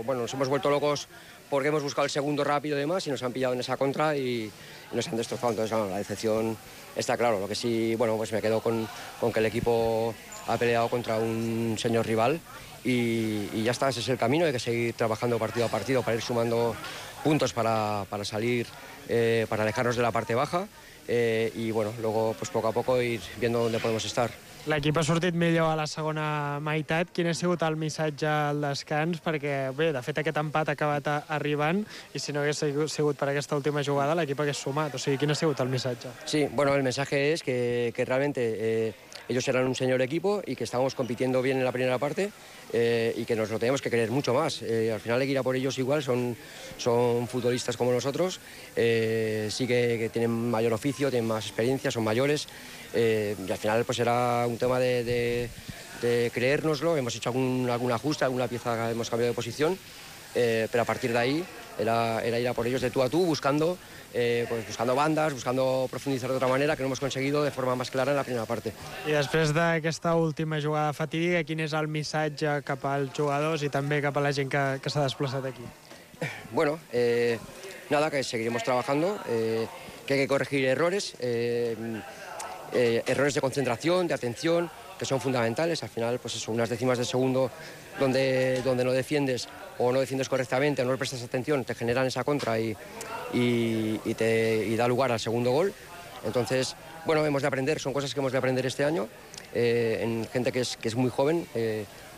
bueno, nos hemos vuelto locos porque hemos buscado el segundo rápido y demás y nos han pillado en esa contra y nos han destrozado. Entonces, bueno, la decepción está claro. Lo que sí, bueno, pues me quedo con que el equipo ha peleado contra un señor rival y ya está, ese es el camino. Hay que seguir trabajando partido a partido para ir sumando puntos para salir, para alejarnos de la parte baja. y bueno, luego pues poco a poco ir viendo dónde podemos estar. L'equip ha sortit millor a la segona meitat. Quin ha sigut el missatge al descans? Perquè, bé, de fet, aquest empat ha acabat arribant i si no hagués sigut per aquesta última jugada, l'equip hagués sumat. O sigui, quin ha sigut el missatge? Sí, bueno, el mensaje es que realmente ellos eran un señor equipo y que estábamos compitiendo bien en la primera parte y que nos lo tenemos que querer mucho más. Al final hay que ir a por ellos igual, son futbolistas como nosotros, sí que tienen mayor oficio, tienen más experiencia, son mayores y al final pues era un tema de creérnoslo. Hemos hecho algún ajuste, alguna pieza hemos cambiado de posición, pero a partir de ahí era ir a por ellos de tú a tú, buscando bandas, buscando profundizar de otra manera, que no hemos conseguido de forma más clara en la primera parte. I després d'aquesta última jugada fatídica, quin és el missatge cap als jugadors i també cap a la gent que s'ha desplaçat aquí? Bueno, nada, que seguiremos trabajando, que hay que corregir errores, errores de concentración, de atención, que son fundamentales. Al final, pues eso, unas décimas de segundo donde no defiendes o no defiendes correctamente o no le prestas atención, te generan esa contra y da lugar al segundo gol. Entonces, bueno, hemos de aprender, son cosas que hemos de aprender este año, en gente que es muy joven,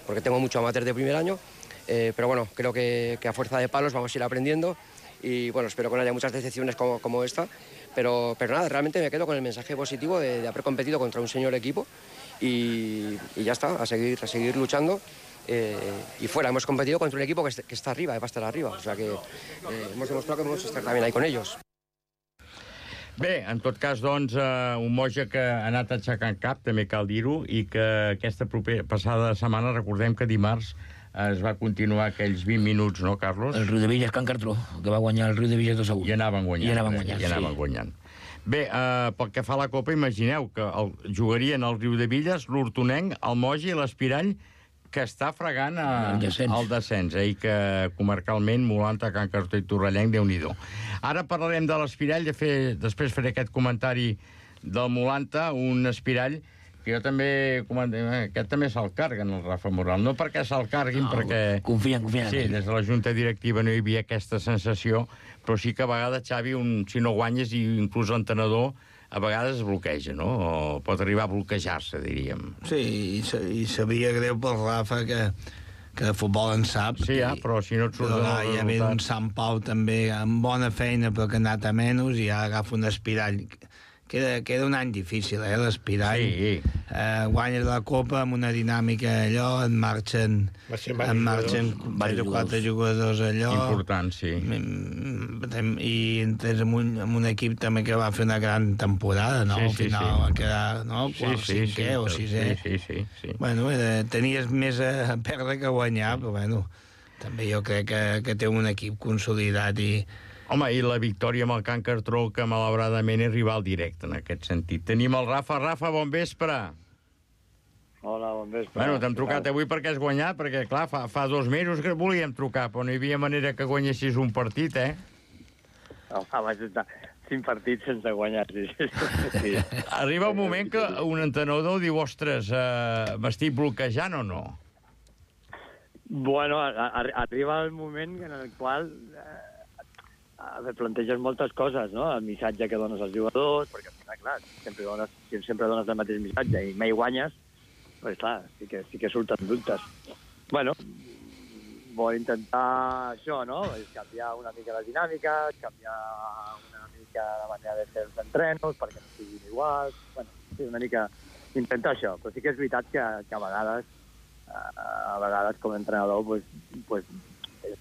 porque tengo mucho amateur de primer año, pero bueno, creo que a fuerza de palos vamos a ir aprendiendo y bueno, espero que no haya muchas decepciones como esta, pero nada, realmente me quedo con el mensaje positivo de haber competido contra un señor equipo y ya está, a seguir luchando. Y fuera, hemos competido contra un equipo que está arriba, que va a estar arriba, o sea que hemos demostrado que podemos estar también ahí con ellos. Bé, en tot cas, doncs, un Moja que ha anat aixecant cap, també cal dir-ho, i que aquesta passada setmana, recordem que dimarts es va continuar aquells 20 minuts, no, Carlos? El Riudebitlles Can Cartró, que va guanyar el Riudebitlles 2-1. I anaven guanyant. Bé, pel que fa a la Copa, imagineu que jugarien el Riudebitlles, l'Hortonenc, el Moja i l'Espirall, que està fregant el descens, i que comarcalment Molanta, Can Cartró i Torrellenc, Déu-n'hi-do. Ara parlarem de l'Espirall, després faré aquest comentari del Molanta, un Espirall que jo també, aquest també se'l carguen, el Rafa Moral. No perquè se'l carguin, perquè... Confien. Sí, des de la Junta Directiva no hi havia aquesta sensació, però sí que a vegades, Xavi, si no guanyes, i inclús l'entrenador, a vegades es bloqueja, no? O pot arribar a bloquejar-se, diríem. Sí, i sabia greu pel Rafa que de futbol en sap. Sí, però si no et surt el resultat... Ja ve un Sant Pau també amb bona feina, però que ha anat a menys, i ja agafa un Espirall. Queda un any difícil, l'Espirall. Sí. Guanyes la Copa amb una dinàmica allò, en marxen 3 o 4 jugadors allò. Important, sí. I entres amb un equip també que va fer una gran temporada, no? Al final va quedar, no? Cinquè o sisè. Sí. Bueno, tenies més a perdre que a guanyar, però bueno, també jo crec que té un equip consolidat i... Home, i la victòria amb el Can Cartró, que malauradament és rival directe en aquest sentit. Tenim el Rafa. Rafa, bon vespre. Hola, bon vespre. Bueno, t'hem trucat avui perquè has guanyat, perquè, clar, fa 2 mesos que volíem trucar, però no hi havia manera que guanyessis un partit, eh? Home, vaig estar 5 partits sense guanyar. Sí. Arriba un moment que un entrenador diu, ostres, m'estic bloquejant o no? Bueno, arriba el moment en el qual... planteges moltes coses, no? El missatge que dones als jugadors, perquè, clar, sempre dones el mateix missatge i mai guanyes, doncs, clar, sí que surten dubtes. Bueno, vull intentar això, no? Canviar una mica la dinàmica, canviar una mica la manera de fer els entrenos perquè no siguin iguals. Bueno, sí, una mica intentar això, però sí que és veritat que a vegades com a entrenador, pues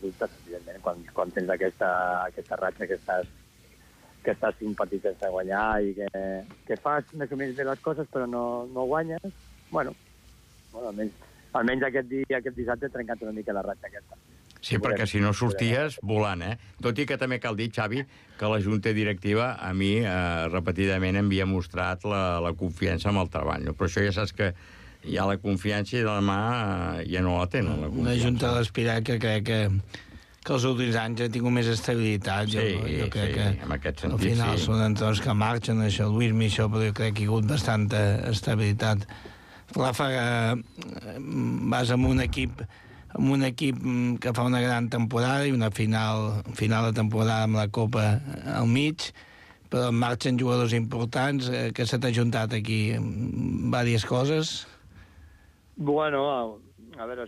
dubtes, evidentment, quan tens aquesta ratxa que estàs 5 partits sense guanyar i que fas més o menys bé les coses però no guanyes. Bueno, almenys aquest dissabte he trencat una mica la ratxa aquesta. Sí, perquè si no sorties volant, eh? Tot i que també cal dir, Xavi, que la Junta Directiva a mi repetidament m'havia mostrat la confiança en el treball. Però això ja saps que hi ha la confiança i demà ja no la tenen, la confiança. Una Junta de l'Espirall que crec que els últims anys ha tingut més estabilitat. Sí, en aquest sentit, al final són entrenadors que marxen, això, Luis Michel, però jo crec que hi ha hagut bastanta estabilitat. Rafa, vas amb un equip que fa una gran temporada i una final de temporada amb la Copa al mig, però marxen jugadors importants, que se t'ha juntat aquí diverses coses. Bueno, a veure,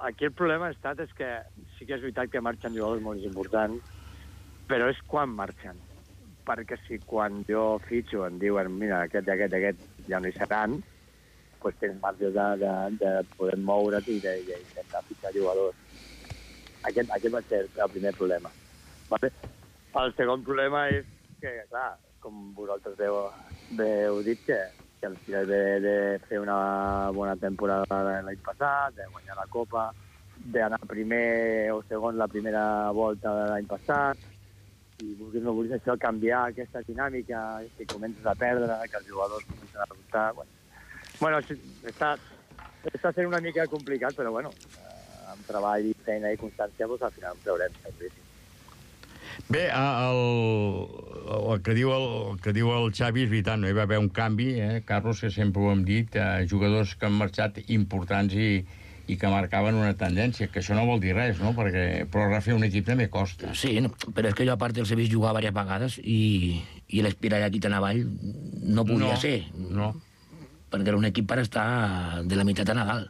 aquí el problema ha estat és que sí que és veritat que marxen jugadors molt importants, però és quan marxen. Perquè si quan jo fitxo em diuen mira, aquest ja no hi seran, doncs tens marge de poder moure't i d'intentar fitxar jugadors. Aquest va ser el primer problema. Vale? El segon problema és que, clar, com vosaltres heu dit, que el final de fer una bona temporada l'any passat, de guanyar la Copa, d'anar primer o segon la primera volta de l'any passat, i vulguis no vulguis això, canviar aquesta dinàmica, que comences a perdre, que els jugadors comencen a dubtar. Bueno, està sent una mica complicat, però bueno, amb treball i feina i constància, doncs al final ho traurem, seguríssim. Bé, el que diu el Xavi és veritat, no hi va haver un canvi, Carlos, que sempre ho hem dit, jugadors que han marxat importants i que marcaven una tendència, que això no vol dir res, no? Però refer un equip també costa. Sí, no, però és que jo a part els he vist jugar diverses vegades i l'espirar aquí tan avall no podia ser. No. Perquè era un equip per estar de la meitat a Nadal.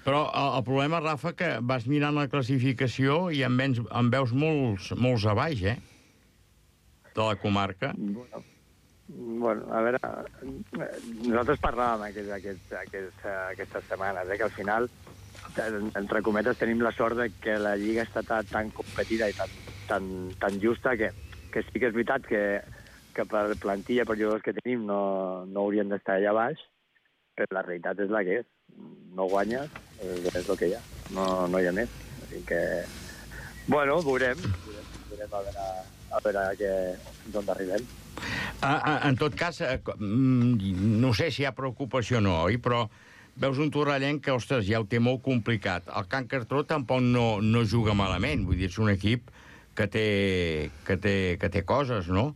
Però el problema, Rafa, que vas mirant la classificació i en veus molts a baix, de la comarca. Bueno, a veure, nosaltres parlàvem aquestes setmanes, que al final, entre cometes, tenim la sort de que la Lliga està tan competida i tan justa que sí que és veritat que per plantilla, per jugadors que tenim, no haurien d'estar allà baix, però la realitat és la que és. No guanyes, és el que hi ha. No hi ha més. Així que, bueno, veurem a veure d'on arribem. En tot cas, no sé si hi ha preocupació o no, oi? Però veus un torrellenc que, ostres, ja ho té molt complicat. El Can Cartró tampoc no juga malament. Vull dir, és un equip que té coses, no?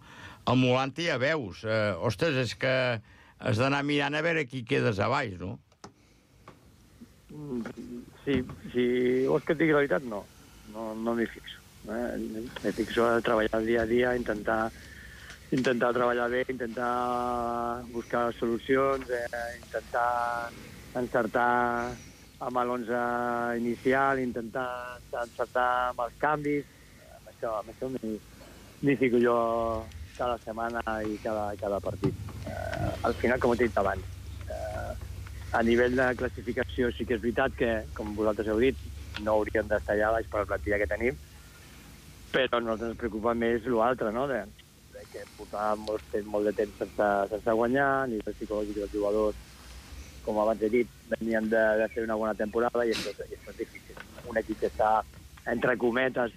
El Molanti ja veus. Ostres, és que has d'anar mirant a veure qui quedes a baix, no? Sí, si vols que et digui la veritat, no m'hi fixo. M'hi fixo a treballar dia a dia, intentar treballar bé, intentar buscar solucions, intentar encertar amb l'11 inicial, intentar encertar amb els canvis. Amb això m'hi fico jo cada setmana i cada partit. Al final, com he dit abans, a nivell de classificació sí que és veritat que, com vosaltres heu dit, no hauríem d'estar allà baix per la plantilla que tenim, però a nosaltres ens preocupa més l'altre, no? De que portàvem molt de temps sense guanyar, a nivell psicològic dels jugadors, com abans he dit, venien de fer una bona temporada i això és difícil. Un equip que està, entre cometes,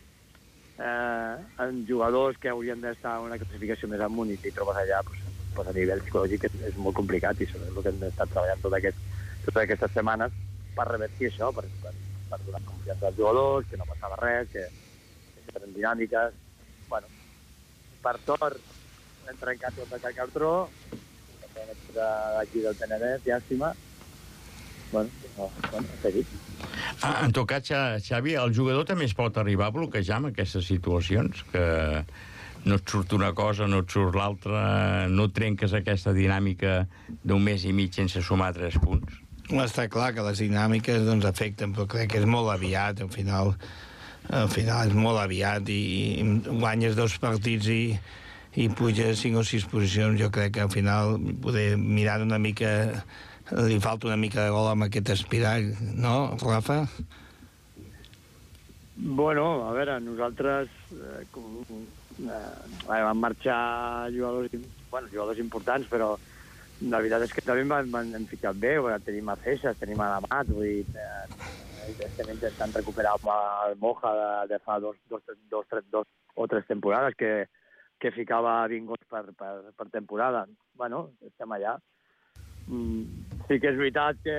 amb jugadors que haurien d'estar en una classificació més amunt i t'hi trobes allà, pues a nivell psicològic és molt complicat i això és el que hem estat treballant totes aquestes setmanes per revertir això, per donar confiança als jugadors, que no passava res, que eren dinàmiques. Bueno, per sort hem trencat tot el Can Cartró, d'aquí del Penedès, llàstima. Bueno, ha seguit. En tot cas, Xavi, el jugador també es pot arribar a bloquejar en aquestes situacions, que no et surt una cosa, no et surt l'altra, no trenques aquesta dinàmica d'un mes i mig sense sumar 3 punts? Està clar que les dinàmiques afecten, però crec que és molt aviat, al final és molt aviat i guanyes 2 partits i puges 5 o 6 posicions. Jo crec que al final poder mirar una mica, li falta una mica de gol amb aquest espiral, no, Rafa? Bueno, a veure, nosaltres van marxar jugadors importants, però la veritat és que també m'han ficat bé. Tenim a Feixas, tenim a Amat, vull dir, estem intentant recuperar el Moja de fa 2 o 3 temporades que ficava 20 gols per temporada. Bueno, estem allà. Sí que és veritat que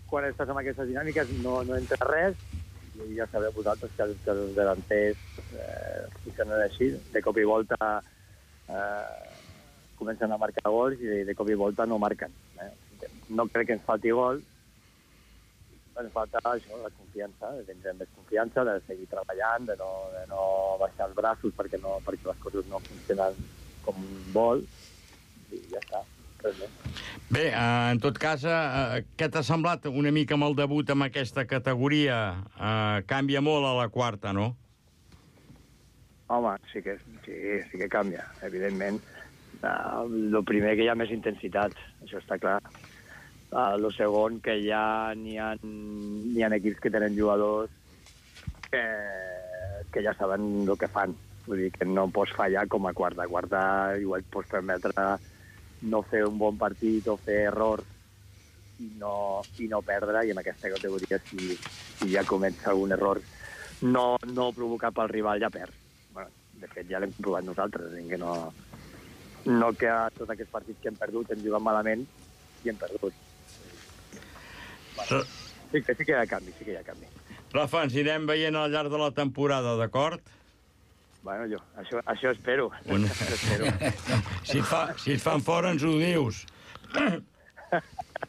quan estàs amb aquestes dinàmiques no entra res, i ja sabeu vosaltres que els delanters funcionen així, de cop i volta comencen a marcar gols i de cop i volta no marquen. No crec que ens falti gol, ens falta això, la confiança, de tindre més confiança, de seguir treballant, de no baixar els braços perquè les coses no funcionen com vol, i ja està, res més. Bé, en tot cas, què t'ha semblat una mica amb el debut en aquesta categoria? Canvia molt a la quarta, no? Home, sí que canvia, evidentment. El primer, que hi ha més intensitat, això està clar. El segon, que ja n'hi ha equips que tenen jugadors que ja saben el que fan. Vull dir que no pots fallar com a quarta. A quarta igual et pots permetre no fer un bon partit o fer errors i no perdre, i en aquesta categoria si ja comets algun error no provocat pel rival, ja perd. Bueno, de fet, ja l'hem comprovat nosaltres, que no que a tots aquests partits que hem perdut hem jugat malament i hem perdut. Bueno, sí que hi ha canvi, Rafa, ens anirem veient al llarg de la temporada, d'acord? Bueno, això espero. Bueno. Si et fan fora, ens ho dius.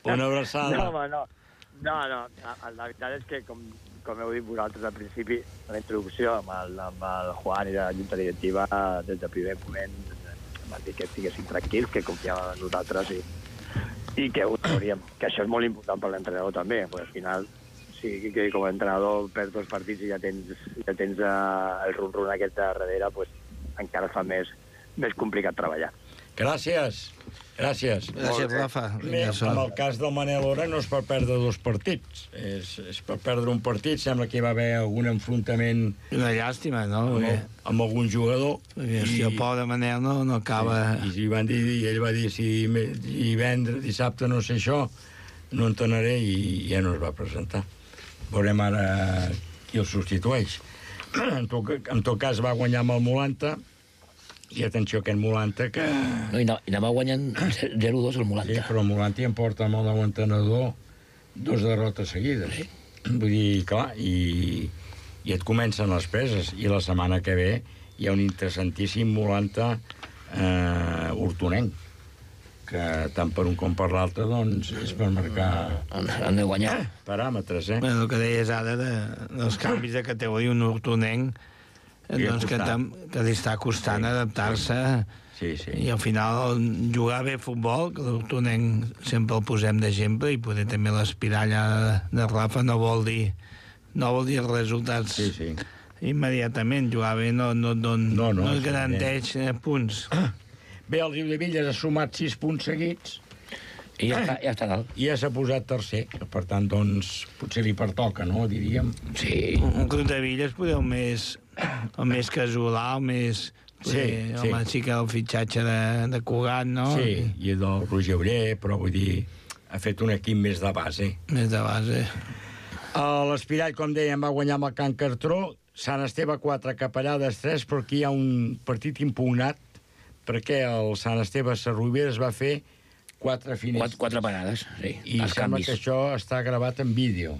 Una abraçada. No, home, no. La veritat és que, com heu dit vosaltres al principi, a la introducció, amb el Juan i la junta directiva, des del primer moment van dir que estiguessin tranquils, que confiaven en nosaltres i que ho hauríem. Que això és molt important per l'entrenador també, perquè al final, sí, que com a entrenador perds dos partits i ja tens el rum-rum aquest de darrere, pues, encara fa més complicat treballar. Gràcies, Rafa. En el cas del Manel Ora no és per perdre dos partits, és per perdre un partit. Sembla que hi va haver algun enfrontament... Una llàstima, no? Amb algun jugador. I el pobre Manel no acaba... I ell va dir, si divendres, dissabte, no sé això, no en tornaré, i ja no es va presentar. Veurem ara qui el substitueix. En tot cas, va guanyar amb el Molanta, i atenció, aquest Molanta que... No, i anava guanyant 0-2 el Molanta. Sí, però el Molanta ja em porta amb el nou entrenador 2 derrotes seguides. Sí. Vull dir, clar, i et comencen les preses. I la setmana que ve hi ha un interessantíssim Molanta hortonenc, que tant per un com per l'altre, doncs, és per marcar... Han de guanyar. Paràmetres, eh? El que deies ara dels canvis de categoria, un hortonenc, doncs que li està costant adaptar-se, i al final jugar bé a futbol, que l'Hortonenc sempre el posem d'exemple, i poder també l'aspirar allà de Rafa no vol dir els resultats immediatament. Jugar bé no es garanteix punts. Bé, el Riudebitlles ha sumat 6 punts seguits i ja està dalt. I ja s'ha posat tercer, per tant, doncs, potser li pertoca, no?, diríem. Sí. Un Riudebitlles poder el més casolà, el més... Home, sí que el fitxatge de Cugat, no? Sí, i del Roger Oller, però vull dir, ha fet un equip més de base. Més de base. L'Espirall, com dèiem, va guanyar amb el Can Cartró, Sant Esteve 4, Capellades 3, però aquí hi ha un partit impugnat, perquè el Sant Esteve Sarrovires va fer 4 finestres. 4 parades, sí. I sembla que això està gravat en vídeo.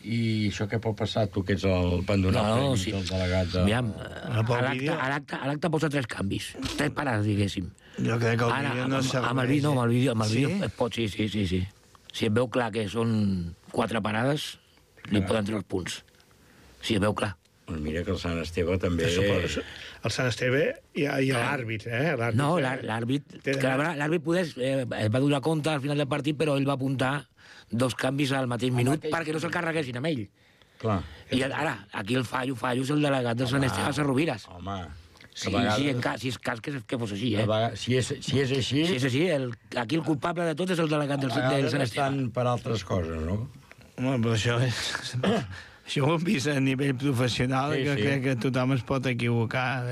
I això què pot passar, tu, que ets el pendonat tècnic del delegat de... Mira, a l'acte posa 3 canvis, 3 parades, diguéssim. Jo crec que el vídeo no serveix. Amb el vídeo es pot, sí. Si es veu clar que són 4 parades, li poden treure els punts. Si es veu clar. Doncs mira que el Sant Esteve també... El Sant Esteve hi ha l'àrbit, No, l'àrbit va donar compte al final del partit, però ell va apuntar 2 canvis al mateix minut perquè no se'l carreguessin amb ell. Clar. I ara, aquí el fallo és el delegat del Sant Esteve Sarrovires. Home, si és cas que fos així, Si és així... Si és així, aquí el culpable de tot és el delegat del Sant Esteve. Estan per altres coses, no? Home, però això és... Això ho hem vist a nivell professional, que crec que tothom es pot equivocar.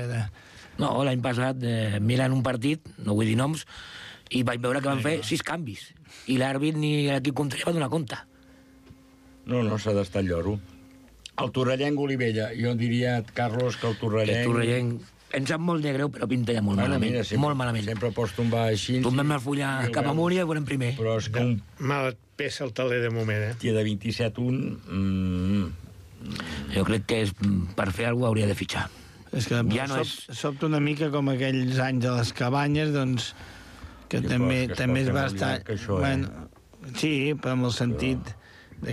No, l'any passat, mirant un partit, no vull dir noms, i vaig veure que van fer 6 canvis. I l'àrbit ni l'equip contrari va donar compte. No, s'ha d'estar al lloro. El torrellenc Olivella, jo diria, Carlos, que el torrellenc... El torrellenc em sap molt de greu, però pinta ja molt malament. Molt malament. Sempre pots tombar així... Tombem el full cap amunt i veurem primer. Però és que mal et pesa el taler de moment, Tia de 27-1... Jo crec que per fer alguna cosa hauria de fitxar. És que sobta una mica com aquells anys a les cabanyes, doncs, que també es va estar... Sí, però en el sentit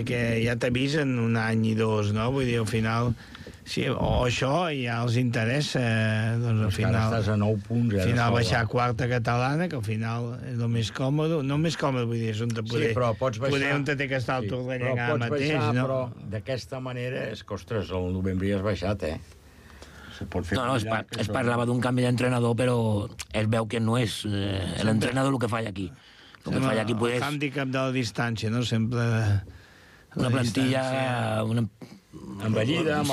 que ja t'avisen un any i dos, no? Vull dir, al final... Sí, o això ja els interessa, doncs al final... Ara estàs a 9 punts. Al final baixar a quarta catalana, que al final és el més còmode. No més còmode, vull dir, és on te poder... Sí, però pots baixar... Poder on te té que estar el Torrellà mateix, baixar, no? Però d'aquesta manera, és que, ostres, el novembre ja has baixat, Se pot fer es parlava d'un canvi d'entrenador, però es veu que no és l'entrenador el que falla aquí. El que falla aquí El hàndicap de la distància, no? Sempre... Una plantilla... Envellida, amb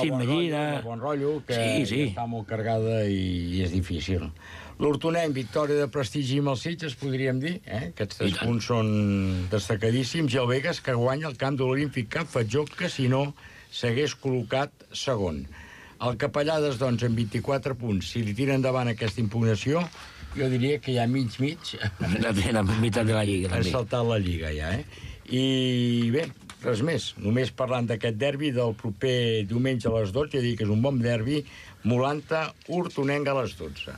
bon rotllo, que està molt cargada i és difícil. L'Hortonenc, victòria de prestigi amb els Sitges, podríem dir. Aquests 3 punts són destacadíssims. I el Vegas, que guanya el camp de l'Olímpic Cap Fatjó, que si no s'hagués col·locat segon. El Capellades, doncs, amb 24 punts. Si li tira endavant aquesta impugnació, jo diria que ja mig... La meitat de la Lliga. Ha saltat la Lliga, ja, I bé, res més. Només parlant d'aquest derbi del proper diumenge a les 12, ja dic que és un bon derbi, Molanta-Hortonenc a les 12.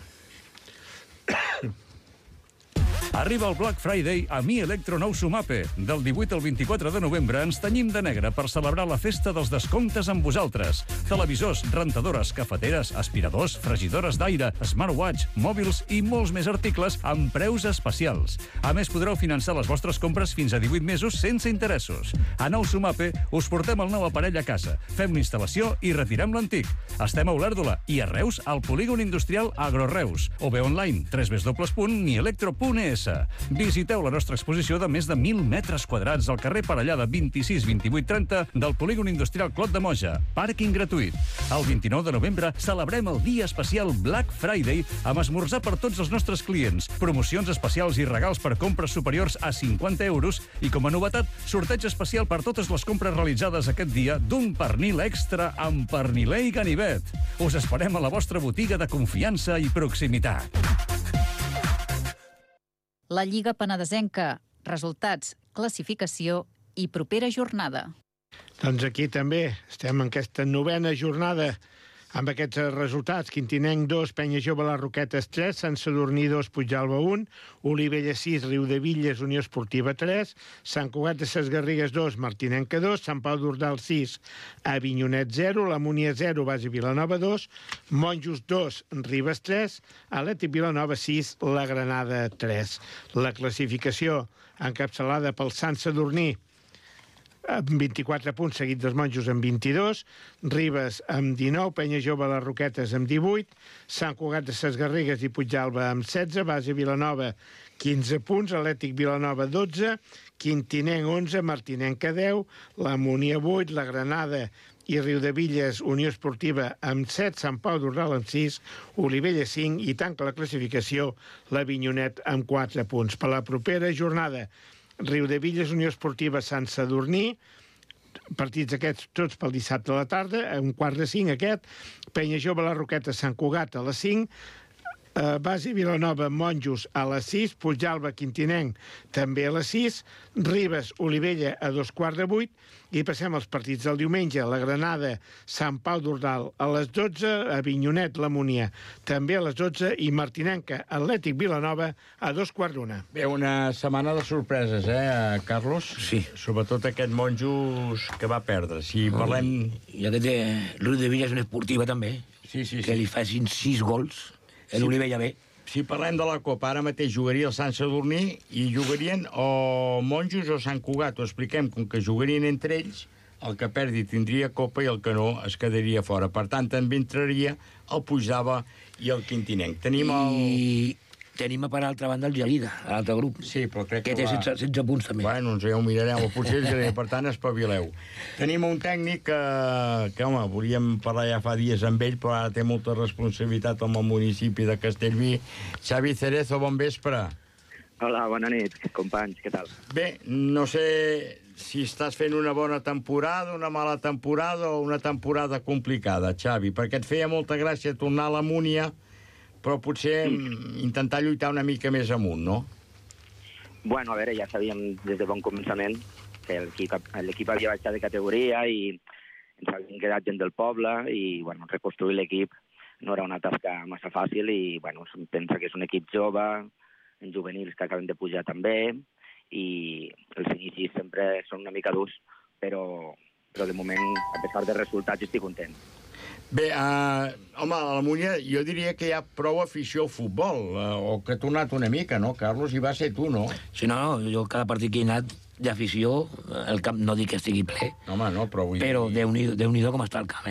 Arriba el Black Friday a Mi Electro Nou Sumape. Del 18 al 24 de novembre ens tenyim de negre per celebrar la festa dels descomptes amb vosaltres. Televisors, rentadores, cafeteres, aspiradors, fregidores d'aire, smartwatch, mòbils i molts més articles amb preus especials. A més, podreu finançar les vostres compres fins a 18 mesos sense interessos. A Nou Sumape us portem el nou aparell a casa, fem l'instal·lació i retirem l'antic. Estem a Olèrdola i a Reus al polígon industrial Agroreus. O bé online, www.nielectro.es. Visiteu la nostra exposició de més de 1.000 metres quadrats al carrer Parellada 26 28 30 del polígon industrial Clot de Moja. Pàrquing gratuït. El 29 de novembre celebrem el dia especial Black Friday amb esmorzar per tots els nostres clients, promocions especials i regals per compres superiors a 50 euros i, com a novetat, sorteig especial per totes les compres realitzades aquest dia d'un pernil extra amb perniler i ganivet. Us esperem a la vostra botiga de confiança i proximitat. La Lliga Penedesenca. Resultats, classificació i propera jornada. Doncs aquí també estem en aquesta 9a jornada amb aquests resultats. Quintinenc 2, Penya Jove Les Roquetes 3, Sant Sadurní 2, Puigdàlber 1, Olivella 6, Riudevilles, Unió Esportiva 3, Sant Cugat de Ses Garrigues 2, Martinenca 2, Sant Pau d'Ordal 6, Avinyonet 0, La Múnia 0, Base Vilanova 2, Monjos 2, Ribes 3, Atlètic Vilanova 6, La Granada 3. La classificació encapçalada pel Sant Sadurní amb 24 punts, seguit dels Monjos amb 22, Ribes amb 19, Penya Jove Les Roquetes amb 18, Sant Cugat de Ses Garrigues i Puigdàlber amb 16, Base Vilanova 15 punts, Atlètic Vilanova 12, Quintinenc 11, Martinenca 10, La Múnia 8, La Granada i Riudevilles, Unió Esportiva amb 7, Sant Pau d'Ordal amb 6, Olivella 5 i tanca la classificació l'Avinyonet amb 4 punts. Per la propera jornada, Riudevilles, Unió Esportiva, Sant Sadurní, partits aquests tots pel dissabte a la tarda, a 4:45 aquest, Penya Jove Les Roquetes, Sant Cugat a les 5, Base Vilanova, Monjos a les 6, Puigdàlber, Quintinenc també a les 6, Ribes, Olivella a 7:45, i passem als partits del diumenge. La Granada, Sant Pau d'Ordal a les 12, Avinyonet, La Múnia també a les 12 i Martinenca, Atlètic Vilanova a 2:15. Bé, una setmana de sorpreses, Carlos? Sí. Sobretot aquest Monjos que va perdre. Si parlem... I aquest Riudevilles és una esportiva també, que li facin 6 gols. L'Olivella B. Si parlem de la Copa, ara mateix jugaria el Sant Sadurní i jugarien o Monjos o Sant Cugat. Ho expliquem, com que jugarien entre ells, el que perdi tindria Copa i el que no es quedaria fora. Per tant, també entraria el Puigdàlber i el Quintinenc. Tenim per altra banda el Gelida, l'altre grup. Sí, però crec que té 16 punts també. Bueno, ja ho mirarem, potser el Gelida, per tant, espavileu. Tenim un tècnic que, home, volíem parlar ja fa dies amb ell, però ara té molta responsabilitat amb el municipi de Castellví. Xavi Cerezo, bon vespre. Hola, bona nit, companys, què tal? Bé, no sé si estàs fent una bona temporada, una mala temporada o una temporada complicada, Xavi, perquè et feia molta gràcia tornar a la Múnia, però potser intentar lluitar una mica més amunt, no? Bueno, a veure, ja sabíem des de bon començament que l'equip havia baixat de categoria i ens havien quedat gent del poble i, bueno, reconstruir l'equip no era una tasca massa fàcil i, bueno, pensa que és un equip jove, en juvenils que acaben de pujar també i els inicis sempre són una mica durs, però de moment, a pesar dels resultats, estic content. Bé, home, a la Múnia jo diria que hi ha prou afició al futbol, o que ha tornat una mica, no, Carlos? I va ser tu, no? Sí, no, jo cada partit que he anat d'afició, el camp no dic que estigui ple, home, no, però Déu-n'hi-do com està el camp,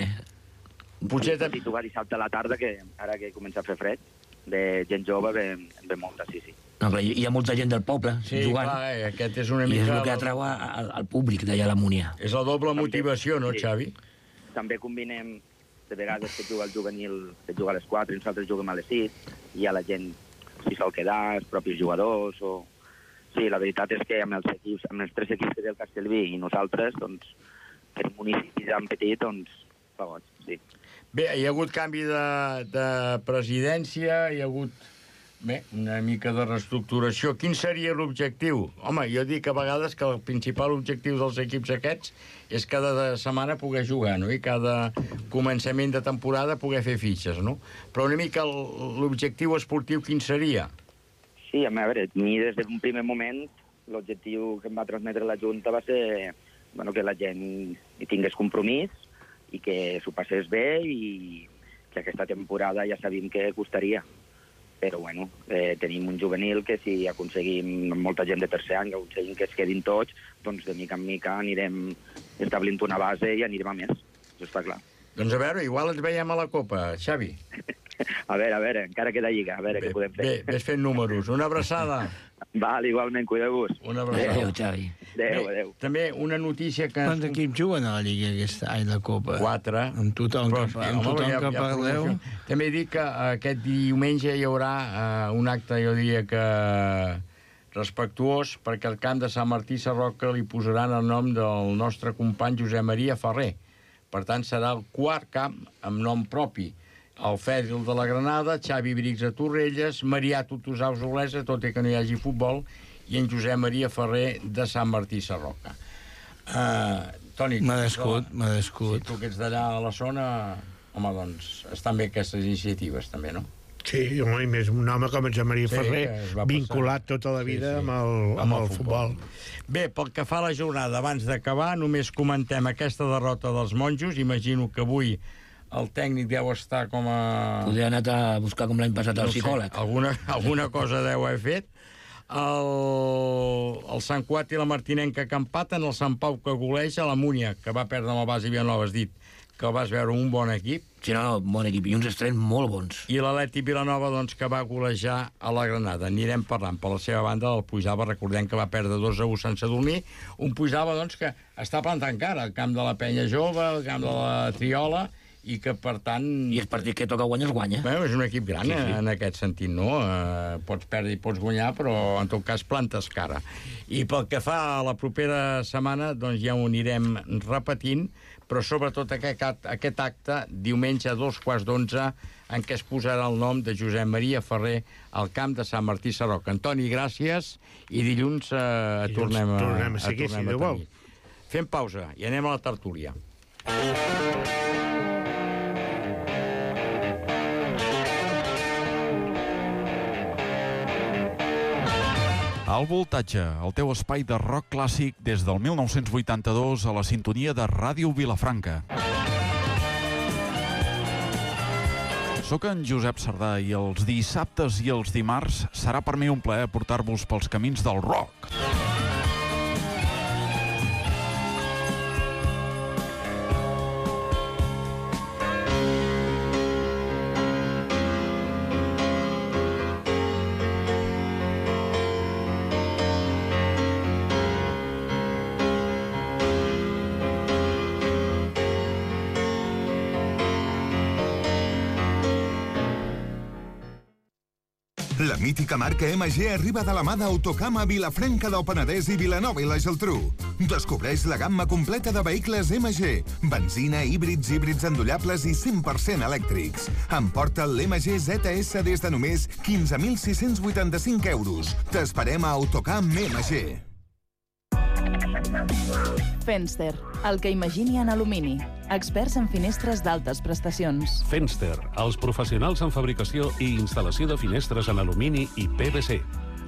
Potser també jugar dissabte a la tarda, que ara que comença a fer fred, de gent jove ve molta, sí. No, però hi ha molta gent del poble jugant. Clar, aquest és una mica... I és el que atrau al públic d'allà a la Múnia. És la doble motivació, no, Xavi? També combinem, de vegades que juga el juvenil, que juga a les 4 i nosaltres juguem a les 6, i a la gent s'hi sol quedar, els propis jugadors, o... Sí, la veritat és que amb els 3 equips que té el Castellví i nosaltres, doncs, per un municipi tan petit, doncs, fa goig, sí. Bé, hi ha hagut canvi de presidència, hi ha hagut una mica de reestructuració. Quin seria l'objectiu? Home, jo dic a vegades que el principal objectiu dels equips aquests és cada setmana poder jugar, no? I cada començament de temporada poder fer fitxes, no? Però una mica l'objectiu esportiu quin seria? Sí, a veure, mi des d'un primer moment l'objectiu que em va transmetre la Junta va ser que la gent hi tingués compromís i que s'ho passés bé i que aquesta temporada ja sabíem que costaria. Però, tenim un juvenil que si aconseguim molta gent de tercer any, que aconseguim que es quedin tots, doncs de mica en mica anirem establint una base i anirem a més. Això està clar. Doncs a veure, igual ens veiem a la Copa, Xavi. A veure, encara queda lliga, a veure què podem fer. Bé, ves fent números. Una abraçada. Val, igualment, cuideu-vos. Una abraçada. Adéu, Xavi. Adéu. També una notícia que... Quants equips juguen a la Lliga aquest any, la Copa? 4. Amb tothom que parleu. També dic que aquest diumenge hi haurà un acte, jo diria que respectuós, perquè al camp de Sant Martí Sarroca li posaran el nom del nostre company Josep Maria Ferrer. Per tant, serà el 4 camp amb nom propi. El Fèdil de la Granada, Xavi Brix a Torrelles, Marià Tutusaus Olesa, tot i que no hi hagi futbol, i en Josep Maria Ferrer de Sant Martí Sarroca. Toni... M'ha descut. Si tu que ets d'allà a la zona, home, doncs, estan bé aquestes iniciatives, també, no? Sí, home, i més un home com en Josep Maria Ferrer, vinculat tota la vida amb el futbol. Bé, pel que fa a la jornada, abans d'acabar, només comentem aquesta derrota dels monjos. Imagino que avui el tècnic deu estar com a... Podria anar a buscar com l'any passat el psicòleg. Alguna cosa deu haver fet. El Sant Cuat i la Martinenca que empaten, el Sant Pau que goleja, la Múnia, que va perdre amb el Basi Vilanova, has dit que el vas veure un bon equip. Sí, no, bon equip, i uns estrenos molt bons. I l'Atlètic Vilanova, doncs, que va golejar a la Granada. Anirem parlant. Per la seva banda, el Puigdàlber, recordem que va perdre 2-1 sense dormir. Un Puigdàlber, doncs, que està plantant cara al camp de la Penya Jove, al camp de la Triola, i que, per tant... I el partit que toca guanyar es guanya. Bé, és un equip gran, en aquest sentit, no? Pots perdre i pots guanyar, però, en tot cas, plantes cara. I pel que fa a la propera setmana, doncs ja ho anirem repetint, però sobretot aquest acte, diumenge a 2:15, en què es posarà el nom de Josep Maria Ferrer al camp de Sant Martí Sarroca. Antoni, gràcies, i dilluns tornem a tenir. Fem pausa i anem a la tertúlia. El Voltatge, el teu espai de rock clàssic des del 1982 a la sintonia de Ràdio Vilafranca. Soc en Josep Sardà i els dissabtes i els dimarts serà per mi un plaer portar-vos pels camins del rock. La mítica marca MG arriba de la mà d'Autocam a Vilafranca del Penedès i Vilanova i la Geltrú. Descobreix la gamma completa de vehicles MG. Benzina, híbrids endollables i 100% elèctrics. Emporta l'MG ZS des de només 15.685 euros. T'esperem a Autocam MG. Fenster, el que imagini en alumini. Experts en finestres d'altes prestacions. Fenster, els professionals en fabricació i instal·lació de finestres en alumini i PVC.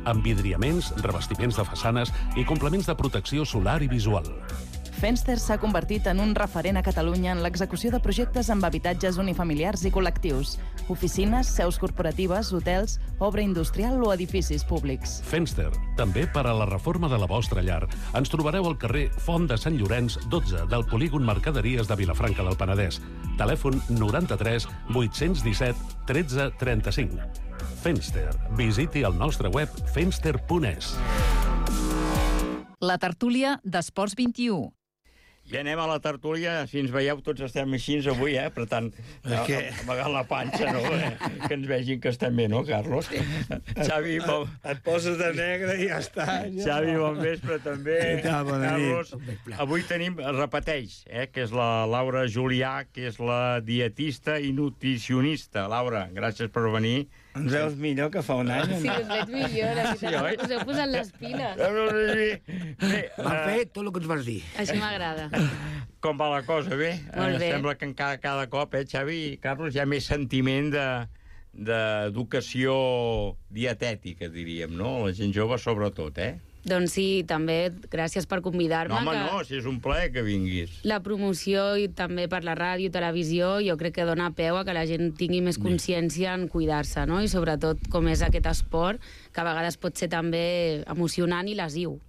Amb vidriaments, revestiments de façanes i complements de protecció solar i visual. Fenster s'ha convertit en un referent a Catalunya en l'execució de projectes amb habitatges unifamiliars i col·lectius, oficines, seus corporatives, hotels, obra industrial o edificis públics. Fenster, també per a la reforma de la vostra llar. Ens trobareu al carrer Font de Sant Llorenç, 12, del polígon Mercaderies de Vilafranca del Penedès. Telèfon 93 817 13 35. Fenster. Visiti el nostre web fenster.es. La tertúlia d'Esports 21. Ja anem a la tertúlia, si ens veieu tots estem així avui, apretant amagant la panxa, no? Que ens vegin que estem bé, no, Carlos? Xavi, et poses de negre i ja està. Xavi, bon vespre, també. Carlos, avui tenim, repeteix, que és la Laura Julià, que és la dietista i nutricionista. Laura, gràcies per venir. Ens veus millor que fa un any? Sí, us veig millor, la veritat. Us heu posat les piles. Vam fer tot el que ens vas dir. Així m'agrada. Com va la cosa, bé? Molt bé. Sembla que cada cop, Xavi i Carlos, hi ha més sentiment d'educació dietètica, diríem, no? La gent jove sobretot, Doncs sí, també gràcies per convidar-me. No, home, no, si és un plaer que vinguis. La promoció i també per la ràdio, televisió, jo crec que dona peu a que la gent tingui més consciència en cuidar-se, no? I sobretot com és aquest esport, que a vegades pot ser també emocionant i lesiu.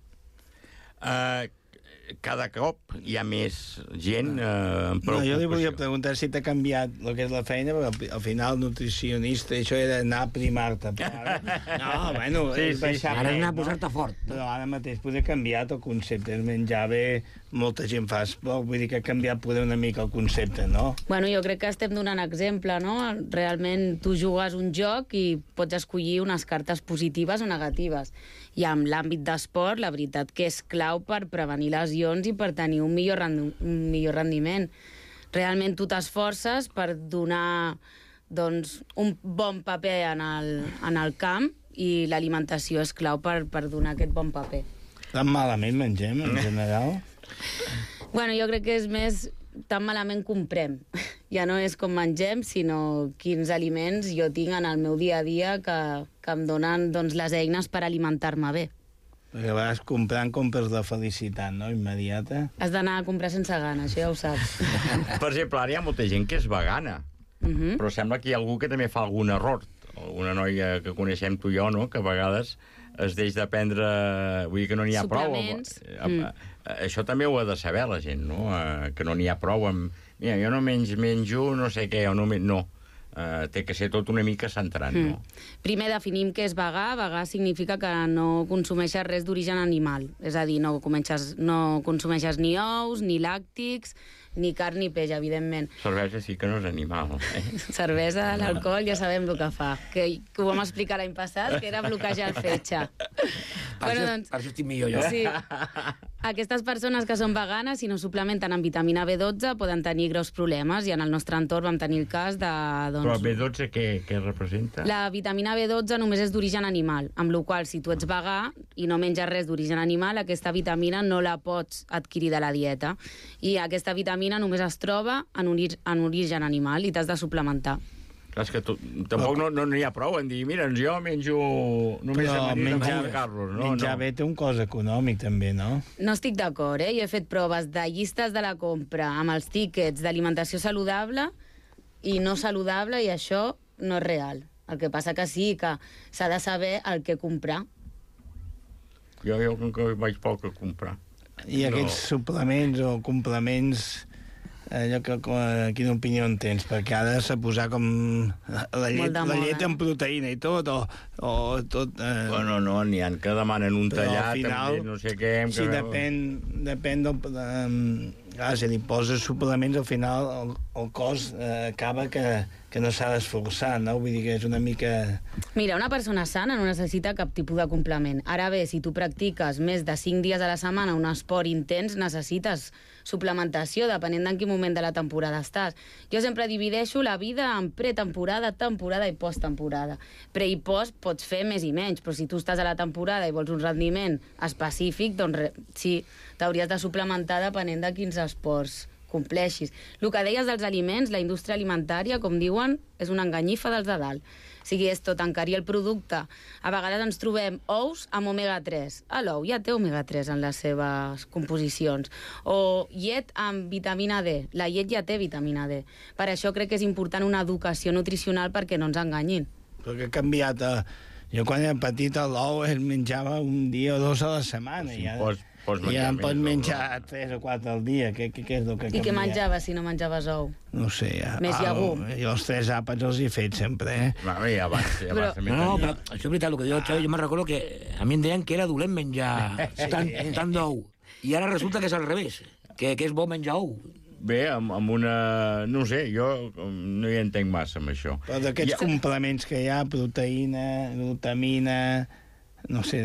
Cada cop hi ha més gent amb preocupació. No, jo li volia preguntar si t'ha canviat el que és la feina, perquè al final nutricionista, això era anar a primar-te. No, bueno, és baixar... Ara és anar a posar-te fort. Però ara mateix poder canviat el concepte. És menjar bé, molta gent fa esport, vull dir que ha canviat poder una mica el concepte, no? Bueno, jo crec que estem donant exemple, no? Realment tu jugues un joc i pots escollir unes cartes positives o negatives. I en l'àmbit d'esport, la veritat que és clau per prevenir lesions i per tenir un millor rendiment. Realment tu t'esforces per donar un bon paper en el camp i l'alimentació és clau per donar aquest bon paper. Tan malament mengem, en general? Bueno, jo crec que és més tan malament comprem. Ja no és com mengem, sinó quins aliments jo tinc en el meu dia a dia que em donen les eines per alimentar-me bé. Perquè a vegades comprant compres la felicitat, no?, immediata. Has d'anar a comprar sense gana, això ja ho saps. Per exemple, ara hi ha molta gent que és vegana, però sembla que hi ha algú que també fa algun error. Una noia que coneixem tu i jo, no?, que a vegades es deix de prendre... Vull dir que no n'hi ha prou. Això també ho ha de saber la gent, no?, que no n'hi ha prou amb... Mira, jo no menjo no sé què, o no... No. Té que ser tot una mica centrat, no? Primer definim què és vegà. Vegà significa que no consumeixes res d'origen animal. És a dir, no consumeixes ni ous, ni làctics, ni carn ni peix, evidentment. Cervesa sí que no és animal. Cervesa, l'alcohol, ja sabem el que fa. Que ho vam explicar l'any passat, que era bloquejar el fetge. Per això estic millor jo. Sí. Aquestes persones que són veganes, si no suplementen amb vitamina B12, poden tenir greus problemes, i en el nostre entorn vam tenir el cas de... Però el B12 què representa? La vitamina B12 només és d'origen animal, amb la qual si tu ets vegà i no menges res d'origen animal, aquesta vitamina no la pots adquirir de la dieta. I aquesta vitamina només es troba en origen animal i t'has de suplementar. Clar, és que tampoc no n'hi ha prou en dir, mira, jo menjo només menjar Carlos. Menjar bé té un cost econòmic, també, no? No estic d'acord, Jo he fet proves de llistes de la compra amb els tíquets d'alimentació saludable i no saludable, i això no és real. El que passa que sí, que s'ha de saber el que comprar. Jo vaig poc a comprar. I aquests suplements o complements... quina opinió en tens? Perquè ara s'ha posat com la llet amb proteïna i tot, o tot... Bueno, no, n'hi ha que demanen un tallat, final, no sé què... Si depèn del... si li poses suplements, al final el cos acaba que no s'ha d'esforçar, no? Vull dir que és una mica... Mira, una persona sana no necessita cap tipus de complement. Ara bé, si tu practiques més de 5 dies a la setmana un esport intens, necessites suplementació, depenent d'en quin moment de la temporada estàs. Jo sempre divideixo la vida en pretemporada, temporada i posttemporada. Pre i post pots fer més i menys, però si tu estàs a la temporada i vols un rendiment específic, doncs sí, t'hauries de suplementar depenent de quins esports compleixis. El que deies dels aliments, la indústria alimentària, com diuen, és una enganyifa dels de dalt. O sigui, és tot encarir el producte. A vegades ens trobem ous amb omega-3. L'ou ja té omega-3 en les seves composicions. O llet amb vitamina D. La llet ja té vitamina D. Per això crec que és important una educació nutricional perquè no ens enganyin. Perquè ha canviat... Jo quan era petit l'ou es menjava un dia o dos a la setmana. Sí, ja em pots menjar 3 o 4 al dia. Què és el que ha canviat? I què menjaves si no menjaves ou? No sé. Més llegum. Jo els 3 àpats els he fet sempre, Ja abans però això és veritat, el que diu el Xavi, jo me'n recordo que a mi em deien que era dolent menjar tant d'ou. I ara resulta que és al revés, que és bo menjar ou. Bé, amb una... No sé, jo no hi entenc massa amb això. Però d'aquests complements que hi ha, proteïna, glutamina... No sé,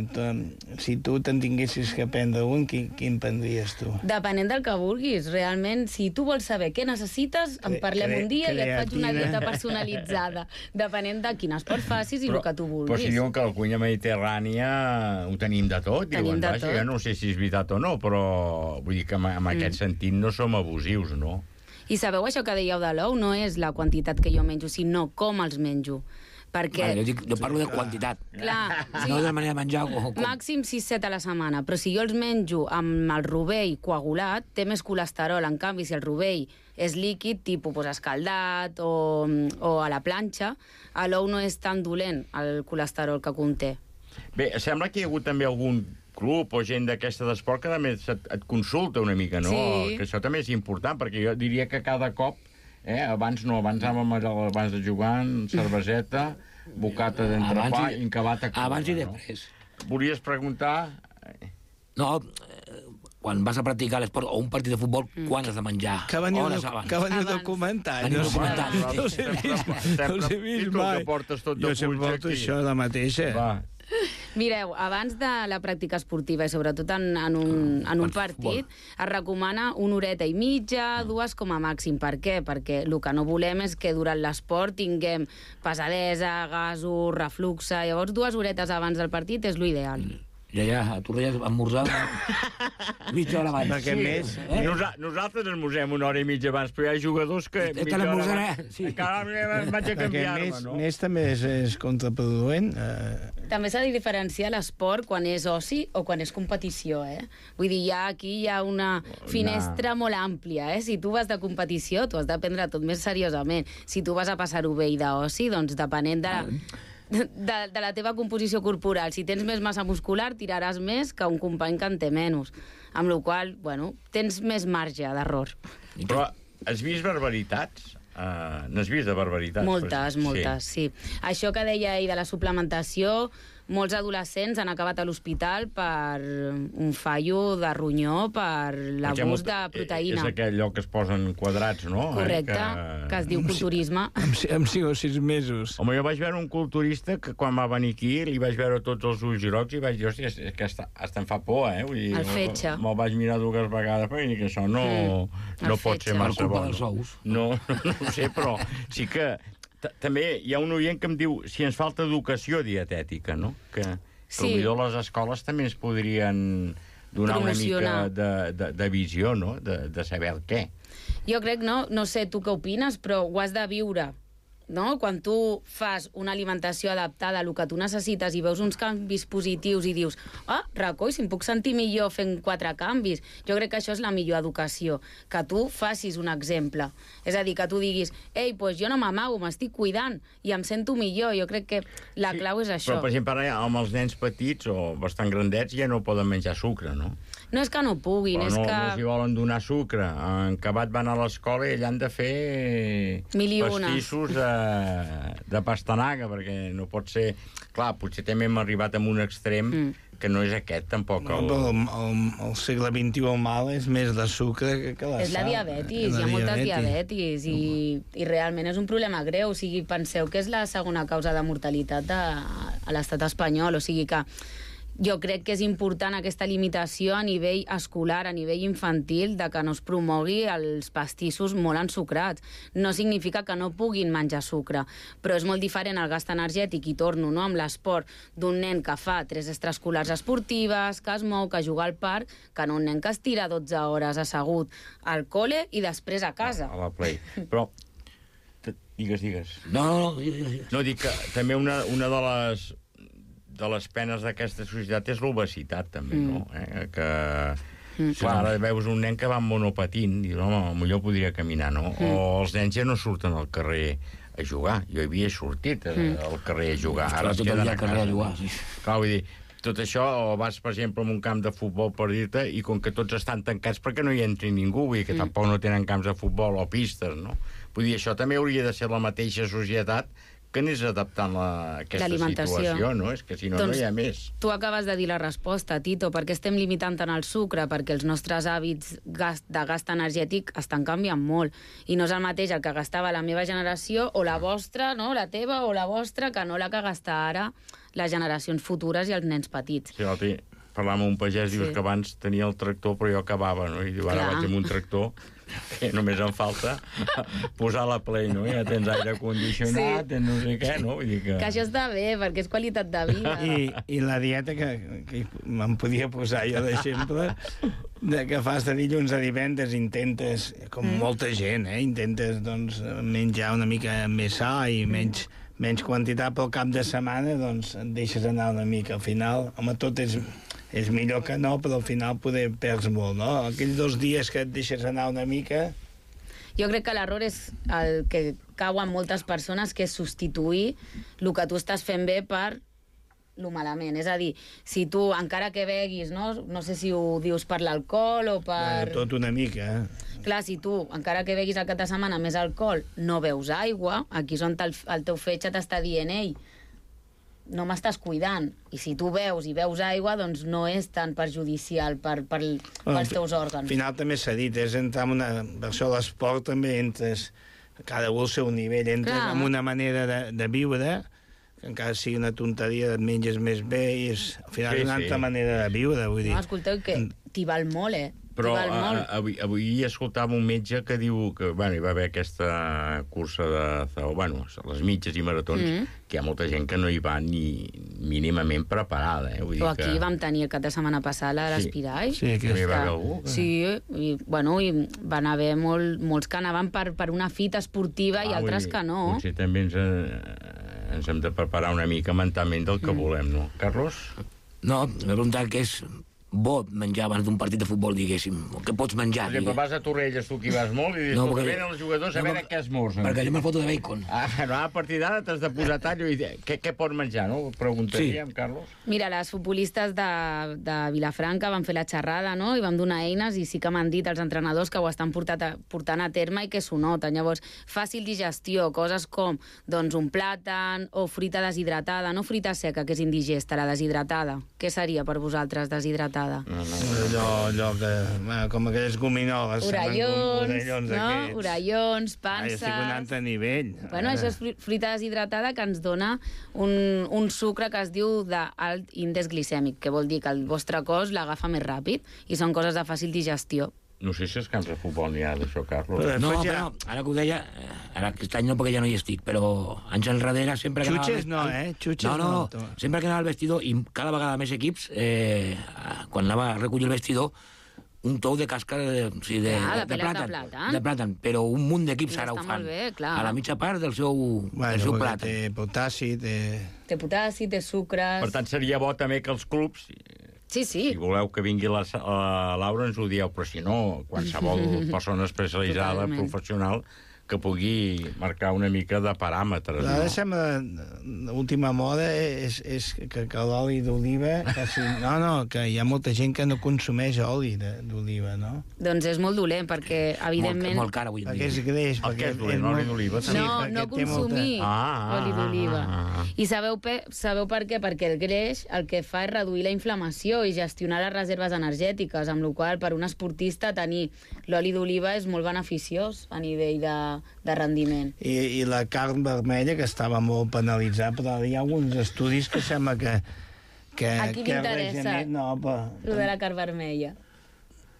si tu te'n tinguessis que prendre un, quin prendries tu? Depenent del que vulguis. Realment, si tu vols saber què necessites, en parlem un dia i et faig una dieta personalitzada. Depenent de quin esport facis i el que tu vulguis. Però si diuen que a la cuina mediterrània ho tenim de tot, diuen, vaja, jo no sé si és veritat o no, però vull dir que en aquest sentit no som abusius, no? I sabeu això que dèieu de l'ou? No és la quantitat que jo menjo, sinó com els menjo. Perquè... Jo parlo de quantitat. Clar, no de manera de menjar. Màxim 6-7 a la setmana, però si jo els menjo amb el rovell coagulat, té més colesterol. En canvi, si el rovell és líquid, tipus escaldat o a la planxa, l'ou no és tan dolent el colesterol que conté. Bé, sembla que hi ha hagut també algun club o gent d'aquesta d'esport que també et consulta una mica, no? Sí. Que això també és important, perquè jo diria que cada cop abans de jugar, cerveseta, bocata d'entrepà, incabat a cua. Abans i després. Volies preguntar... No, quan vas a practicar l'esport o un partit de futbol, quan has de menjar? Que veniu documentant. No us he vist mai. Jo sempre porto això de mateixa. Va. Mireu, abans de la pràctica esportiva i sobretot en un partit, es recomana 1 horeta i mitja, 2 com a màxim. Per què? Perquè el que no volem és que durant l'esport tinguem pesadesa, gasos, refluxe. Llavors 2 horetes abans del partit és l'ideal. Ja, tu reies esmorzar mitja hora abans. Perquè més... Nosaltres esmorzem 1 hora i mitja abans, però hi ha jugadors que... Te l'esmorzaré. Encara vaig a canviar-me, no? Més també és contraproduent. També s'ha de diferenciar l'esport quan és oci o quan és competició, Vull dir, aquí hi ha una finestra molt àmplia, Si tu vas de competició, tu has de prendre tot més seriosament. Si tu vas a passar-ho bé i d'oci, doncs depenent de la teva composició corporal. Si tens més massa muscular, tiraràs més que un company que en té menys. Amb la qual cosa, tens més marge d'error. Però has vist barbaritats? N'has vist de barbaritats? Moltes, sí. Això que deia ahir de la suplementació, molts adolescents han acabat a l'hospital per un fallo de ronyó, per l'abús de proteïna. És aquell lloc que es posen quadrats, no? Correcte, que es diu culturisme. Amb 5 o 6 mesos. Home, jo vaig veure un culturista que quan va venir aquí li vaig veure tots els ulls grocs i vaig dir, hòstia, és que hasta em fa por, Vull dir, el fetge. Me'l vaig mirar 2 vegades perquè que això no pot ser massa bo. No ho sé, però sí que... També hi ha un oient que em diu si ens falta educació dietètica, no? Que potser les escoles també ens podrien donar una mica de visió, no? De saber el què. Jo crec, no sé tu què opines, però ho has de viure, no? Quan tu fas una alimentació adaptada a el que tu necessites i veus uns canvis positius i dius, recoi, si em puc sentir millor fent 4 canvis. Jo crec que això és la millor educació, que tu facis un exemple. És a dir, que tu diguis, doncs jo no m'amago, m'estic cuidant i em sento millor. Jo crec que la clau és això. Però, per exemple, amb els nens petits o bastant grandets ja no poden menjar sucre, no? No és que no puguin, és que... No els hi volen donar sucre. En Cabat van a l'escola i allà han de fer pastissos de pastanaga, perquè no pot ser... Clar, potser també hem arribat a un extrem que no és aquest, tampoc. El segle XXI el mal és més de sucre que la sal. És la diabetis, hi ha moltes diabetis i realment és un problema greu. O sigui, penseu que és la segona causa de mortalitat a l'estat espanyol, o sigui que jo crec que és important aquesta limitació a nivell escolar, a nivell infantil, de que no es promogui els pastissos molt ensucrats. No significa que no puguin menjar sucre, però és molt diferent el gast energètic, i torno amb l'esport, d'un nen que fa 3 extraescolars esportives, que es mou, que juga al parc, que no un nen que es tira 12 hores assegut al col·le i després a casa. A la play. Però Digues. No. No, dic que també una de les penes d'aquesta societat és l'obesitat, també, no? Clar, ara veus un nen que va amb monopatint, i home, millor podria caminar, no? O els nens ja no surten al carrer a jugar. Jo havia sortit al carrer a jugar. Ara tot el dia al carrer a jugar, sí. Clar, vull dir, tot això, o vas, per exemple, a un camp de futbol per dir-te, i com que tots estan tancats perquè no hi entri ningú, vull dir que tampoc no tenen camps de futbol o pistes, no? Vull dir, això també hauria de ser la mateixa societat que anés adaptant aquesta situació, no? És que si no, no hi ha més. Tu acabes de dir la resposta, Tito, perquè estem limitant tant el sucre, perquè els nostres hàbits de gast energètic estan canviant molt, i no és el mateix el que gastava la meva generació o la vostra, no? La teva o la vostra, que no la que gasta ara les generacions futures i els nens petits. Sí, parlar amb un pagès, dius que abans tenia el tractor, però jo acabava, no? I diu, ara vaig amb un tractor que només em falta posar la Play, no? Ja tens aire condicionat, tens no sé què, no? Vull dir que això està bé, perquè és qualitat de vida. I la dieta que me'n podia posar jo d'exemple, que fas de dilluns a divendres, intentes, com molta gent, intentes doncs, menjar una mica més sa i menys quantitat pel cap de setmana, doncs et deixes anar una mica. Al final, home, tot és millor que no, però al final poder perds molt, no? Aquells 2 dies que et deixes anar una mica... Jo crec que l'error és el que cau en moltes persones, que és substituir el que tu estàs fent bé per lo malament. És a dir, si tu, encara que beguis, no sé si ho dius per l'alcohol o per... Tot una mica, Clar, si tu, encara que beguis el cap de setmana més alcohol, no beus aigua, aquí és on el teu fetge t'està dient, ei, no m'estàs cuidant. I si tu beus i beus aigua, doncs no és tan perjudicial pels teus òrgans. Al final també s'ha dit, és entrar en una... Per això l'esport també entres, cada un al seu nivell, entres en una manera de viure, que encara sigui una tonteria, et menges més bé, i és al final una altra manera de viure, vull dir. No, escolteu, que t'hi val molt, Però avui escoltava un metge que diu que hi va haver aquesta cursa de les mitges i maratons, que hi ha molta gent que no hi va ni mínimament preparada. Però aquí vam tenir el cap de setmana passat l'Espirall. Sí, que hi va haver algú. Sí, i van haver molts que anaven per una fita esportiva i altres que no. Potser també ens hem de preparar una mica mentalment del que volem, no? Carlos? No, m'he preguntat què és bo menjar abans d'un partit de futbol, diguéssim. Què pots menjar? Per exemple, vas a Torrelles, tu que hi vas molt, i dius, que venen els jugadors a veure què esmorzen. Perquè jo me foto de bacon. A partir d'ara t'has de posar tallo i què pots menjar, no? Preguntaríem, Carlos. Mira, les futbolistes de Vilafranca van fer la xerrada, no? I vam donar eines, i sí que m'han dit els entrenadors que ho estan portant a terme i que s'ho noten. Llavors, fàcil digestió, coses com doncs un plàtan o fruita deshidratada, no fruita seca, que és indigesta, la deshidratada. Què seria per vosaltres deshidratada? Allò que... com aquelles gominoles. Orellons, panses... Estic a un altre nivell. Bueno, això és fruita deshidratada que ens dona un sucre que es diu d'alt índex glicèmic, que vol dir que el vostre cos l'agafa més ràpid, i són coses de fàcil digestió. No sé si als camps de futbol n'hi ha d'això, Carlos. No, però ara que ho deia, ara aquest any no, perquè ja no hi estic, però anys enrere sempre que Xutxes no, Xutxes no. Sempre que anava al vestidor, i cada vegada més equips, quan anava a recollir el vestidor, un tou de càscara de plàtan, però un munt d'equips ara ho fan. A la mitja part del seu plàtan. Té potassi, té potassi, té sucres... Per tant, seria bo també que els clubs... Sí. Si voleu que vingui la Laura, ens ho dieu, però si no, qualsevol persona especialitzada, professional, que pugui marcar una mica de paràmetres. Ara sembla, l'última moda és que l'oli d'oliva... que hi ha molta gent que no consumeix oli d'oliva, no? Doncs és molt dolent, perquè, evidentment... Molt car avui en dia. Perquè és greix. El que és dolent, l'oli d'oliva? No consumir oli d'oliva. I sabeu per què? Perquè el greix el que fa és reduir la inflamació i gestionar les reserves energètiques, amb la qual per un esportista tenir l'oli d'oliva és molt beneficiós a nivell de rendiment. I la carn vermella, que estava molt penalitzada, però hi ha alguns estudis que sembla que a qui m'interessa lo de la carn vermella?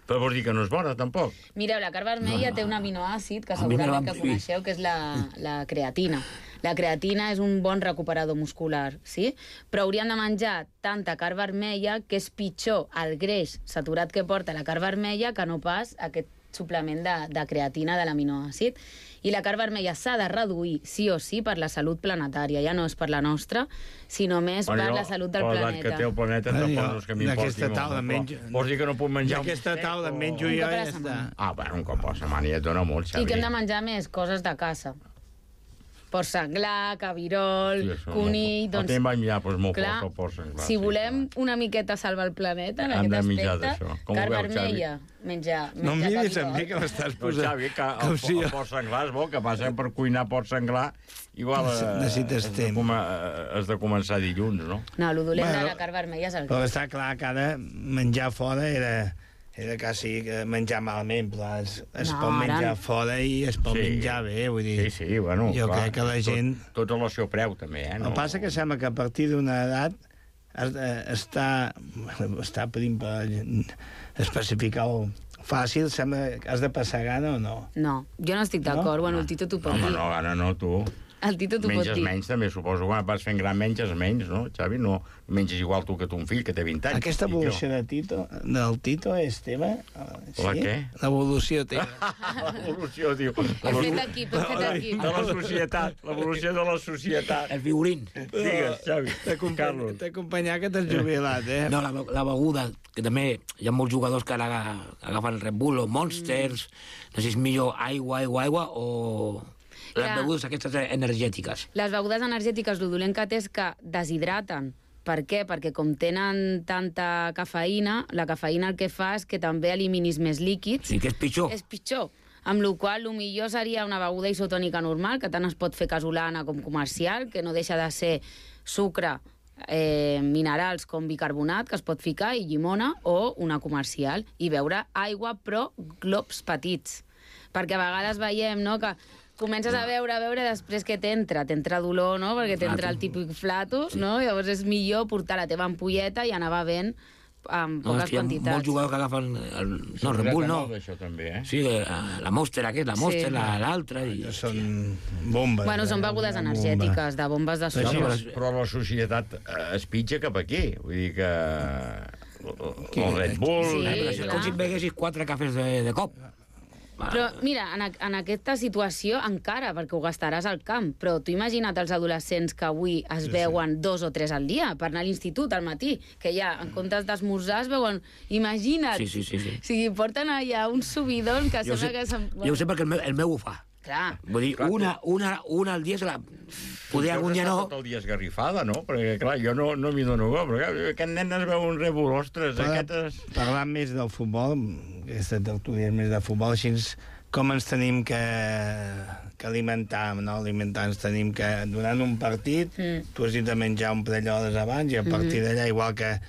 Però vols dir que no és bona, tampoc? Mireu, la carn vermella té un aminoàcid que segurament que coneixeu, que és la creatina. La creatina és un bon recuperador muscular, sí? Però hauríem de menjar tanta carn vermella que és pitjor el greix saturat que porta la carn vermella que no pas aquest suplement de creatina de l'aminoàcid. I la carn vermella s'ha de reduir, sí o sí, per la salut planetària. Ja no és per la nostra, sinó més per la salut del planeta. Que té el planeta, tampoc és que m'importi molt. Vols dir que no puc menjar... D'aquesta taula menjo jo i ja està. Bueno, un cop a la setmana ja et dona molt, Xavi. I que hem de menjar més coses de caça. Porc senglar, cabirol, conill... El temps va enllà, però és molt fort el porc senglar. Si volem una miqueta salvar el planeta en aquest aspecte, carn vermella, menjar no em miris a mi que m'estàs posant... Xavi, que el porc senglar és bo, que passa per cuinar porc senglar, igual necessites temps. Has de començar dilluns, no? No, el dolent de la carn vermella és el que... Però està clar que ara menjar fora era quasi menjar malament, però es pot menjar fora i es pot menjar bé, vull dir... Sí, bueno, jo crec que la gent... Tot al seu preu, també, eh? El que passa que sembla que a partir d'una edat està per especificar-ho fàcil, sembla que has de passar gana o no? No, jo no estic d'acord, bueno, el Tito t'ho pot dir. Home, no, gana no, tu... El Tito t'ho pot dir. Menges menys, també, suposo. Quan vas fent gran, menges menys, no, Xavi? No menges igual tu que ton fill, que té 20 anys. Aquesta evolució del Tito és teva? La què? L'evolució teva. L'evolució, diu. He fet equip. De la societat. L'evolució de la societat. El figurín. Digues, Xavi. Carlos. T'he acompanyat que t'has jubilat, eh? No, la beguda, que també hi ha molts jugadors que ara agafen Red Bull o Monsters, no sé si és millor aigua o... Les begudes aquestes energètiques. Les begudes energètiques, el dolent que té és que deshidraten. Per què? Perquè com tenen tanta cafeïna, la cafeïna el que fa és que també eliminis més líquids. Sí, que és pitjor. És pitjor. Amb la qual cosa, el millor seria una beguda isotònica normal, que tant es pot fer casolana com comercial, que no deixa de ser sucre, minerals com bicarbonat, que es pot ficar, i llimona, o una comercial, i beure aigua, però globs petits. Perquè a vegades veiem, no?, que comences a beure, després que t'entra dolor, no?, perquè t'entra el típic flatus, no?, llavors és millor portar la teva ampolleta i anar bevent amb poques quantitats. Hi ha molts jugadors que agafen... No, Red Bull no. Això també, eh? Sí, la Monster la Monster, l'altra... Són bombes. Bueno, són begudes energètiques, de bombes de sucre. Però la societat es pitja cap aquí. Vull dir que... El Red Bull... És com si beguessis 4 cafès de cop. Però, mira, en aquesta situació encara, perquè ho gastaràs al camp, però tu imagina't els adolescents que avui es beuen 2 o 3 al dia per anar a l'institut al matí, que ja, en comptes d'esmorzar, es beuen... Imagina't! Sí. O sigui, porten allà un subidon que sembla que... Jo ho sé perquè el meu ho fa. Clar. Vull dir, una al dia se la... Poder algun dia no... Tot el dia esgarrifada, no? Perquè, clar, jo no m'hi dono bo, però aquest nen es veu un Red Bull, ostres, aquestes... Parlant més del futbol, aquesta tertúlia és més de futbol, així com ens tenim que alimentar, no? Alimentar ens tenim que... Durant un partit, tu has dit de menjar un parell d'hores abans, i a partir d'allà, igual que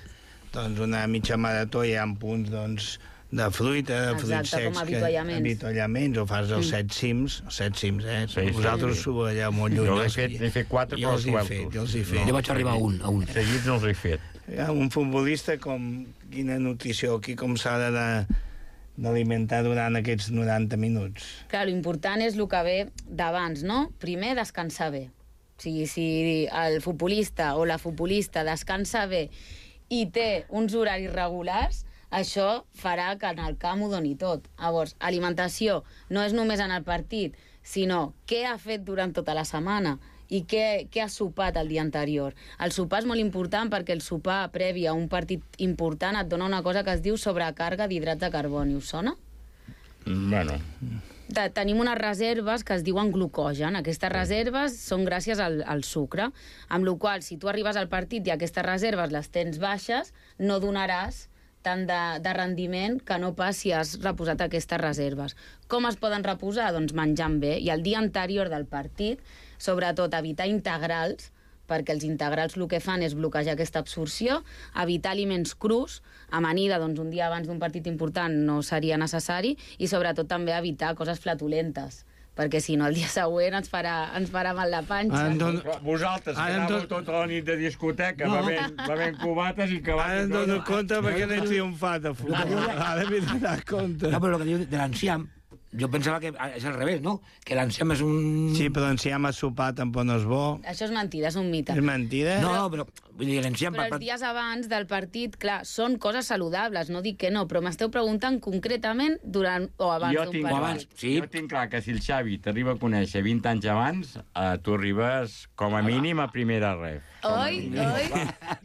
una mitja marató, hi ha punts, doncs, de fruita, de fruits secs... com avituallaments. O fas els 7 cims, eh? Vosaltres ho veieu molt lluny. Jo n'he fet 4, però jo els he fet. Jo vaig arribar a un. Seguits no els he fet. Un futbolista, quina nutrició, com s'ha d'alimentar durant aquests 90 minuts? Clar, l'important és el que ve d'abans, no? Primer, descansar bé. O sigui, si el futbolista o la futbolista descansa bé i té uns horaris regulars, això farà que en el camp ho doni tot. Llavors, alimentació no és només en el partit, sinó què ha fet durant tota la setmana i què ha sopat el dia anterior. El sopar és molt important perquè el sopar previ a un partit important et dona una cosa que es diu sobrecàrrega d'hidrats de carboni. Us sona? Bueno... Tenim unes reserves que es diuen glucogen. Aquestes reserves són gràcies al sucre, amb la qual cosa, si tu arribes al partit i aquestes reserves les tens baixes, no donaràs tant de rendiment que no pas si has reposat aquestes reserves. Com es poden reposar? Doncs menjant bé. I el dia anterior del partit, sobretot evitar integrals, perquè els integrals el que fan és bloquejar aquesta absorció, evitar aliments crus, amanida, doncs un dia abans d'un partit important no seria necessari, i sobretot també evitar coses flatulentes, perquè si no el dia següent ens farà mal la panxa. Vosaltres, que anàveu tota la nit de discoteca, bevent cubates i que... Ara em dono compte perquè n'he triomfat a futbol. Ara m'he donat compte. No, però el que diu de l'enciam, jo pensava que és al revés, no? Que l'enciam és un... Sí, però l'enciam a sopar tampoc no és bo. Això és mentida, és un mite. És mentida? No, però vull dir, l'enciam... Però els dies abans del partit, clar, són coses saludables, no dic que no, però m'esteu preguntant concretament durant o abans d'un partit. Jo tinc clar que si el Xavi t'arriba a conèixer 20 anys abans, tu arribes com a mínim a primera ref. Oi?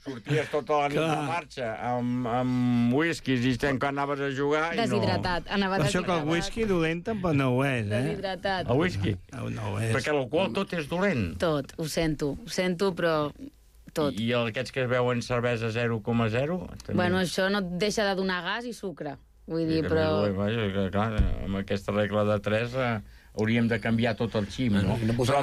Sorties tota la nit de marxa amb whiskies i quan anaves a jugar i no... Deshidratat, anava deshidratat. Això que el whisky dolent tampoc no ho és, Deshidratat. El whisky? No ho és. Perquè l'alcohol tot és dolent. Tot, ho sento, però tot. I aquests que es veuen cervesa 0,0? Bueno, això no et deixa de donar gas i sucre. Vull dir, però... Clar, amb aquesta regla de 3 hauríem de canviar tot el xim, no? Però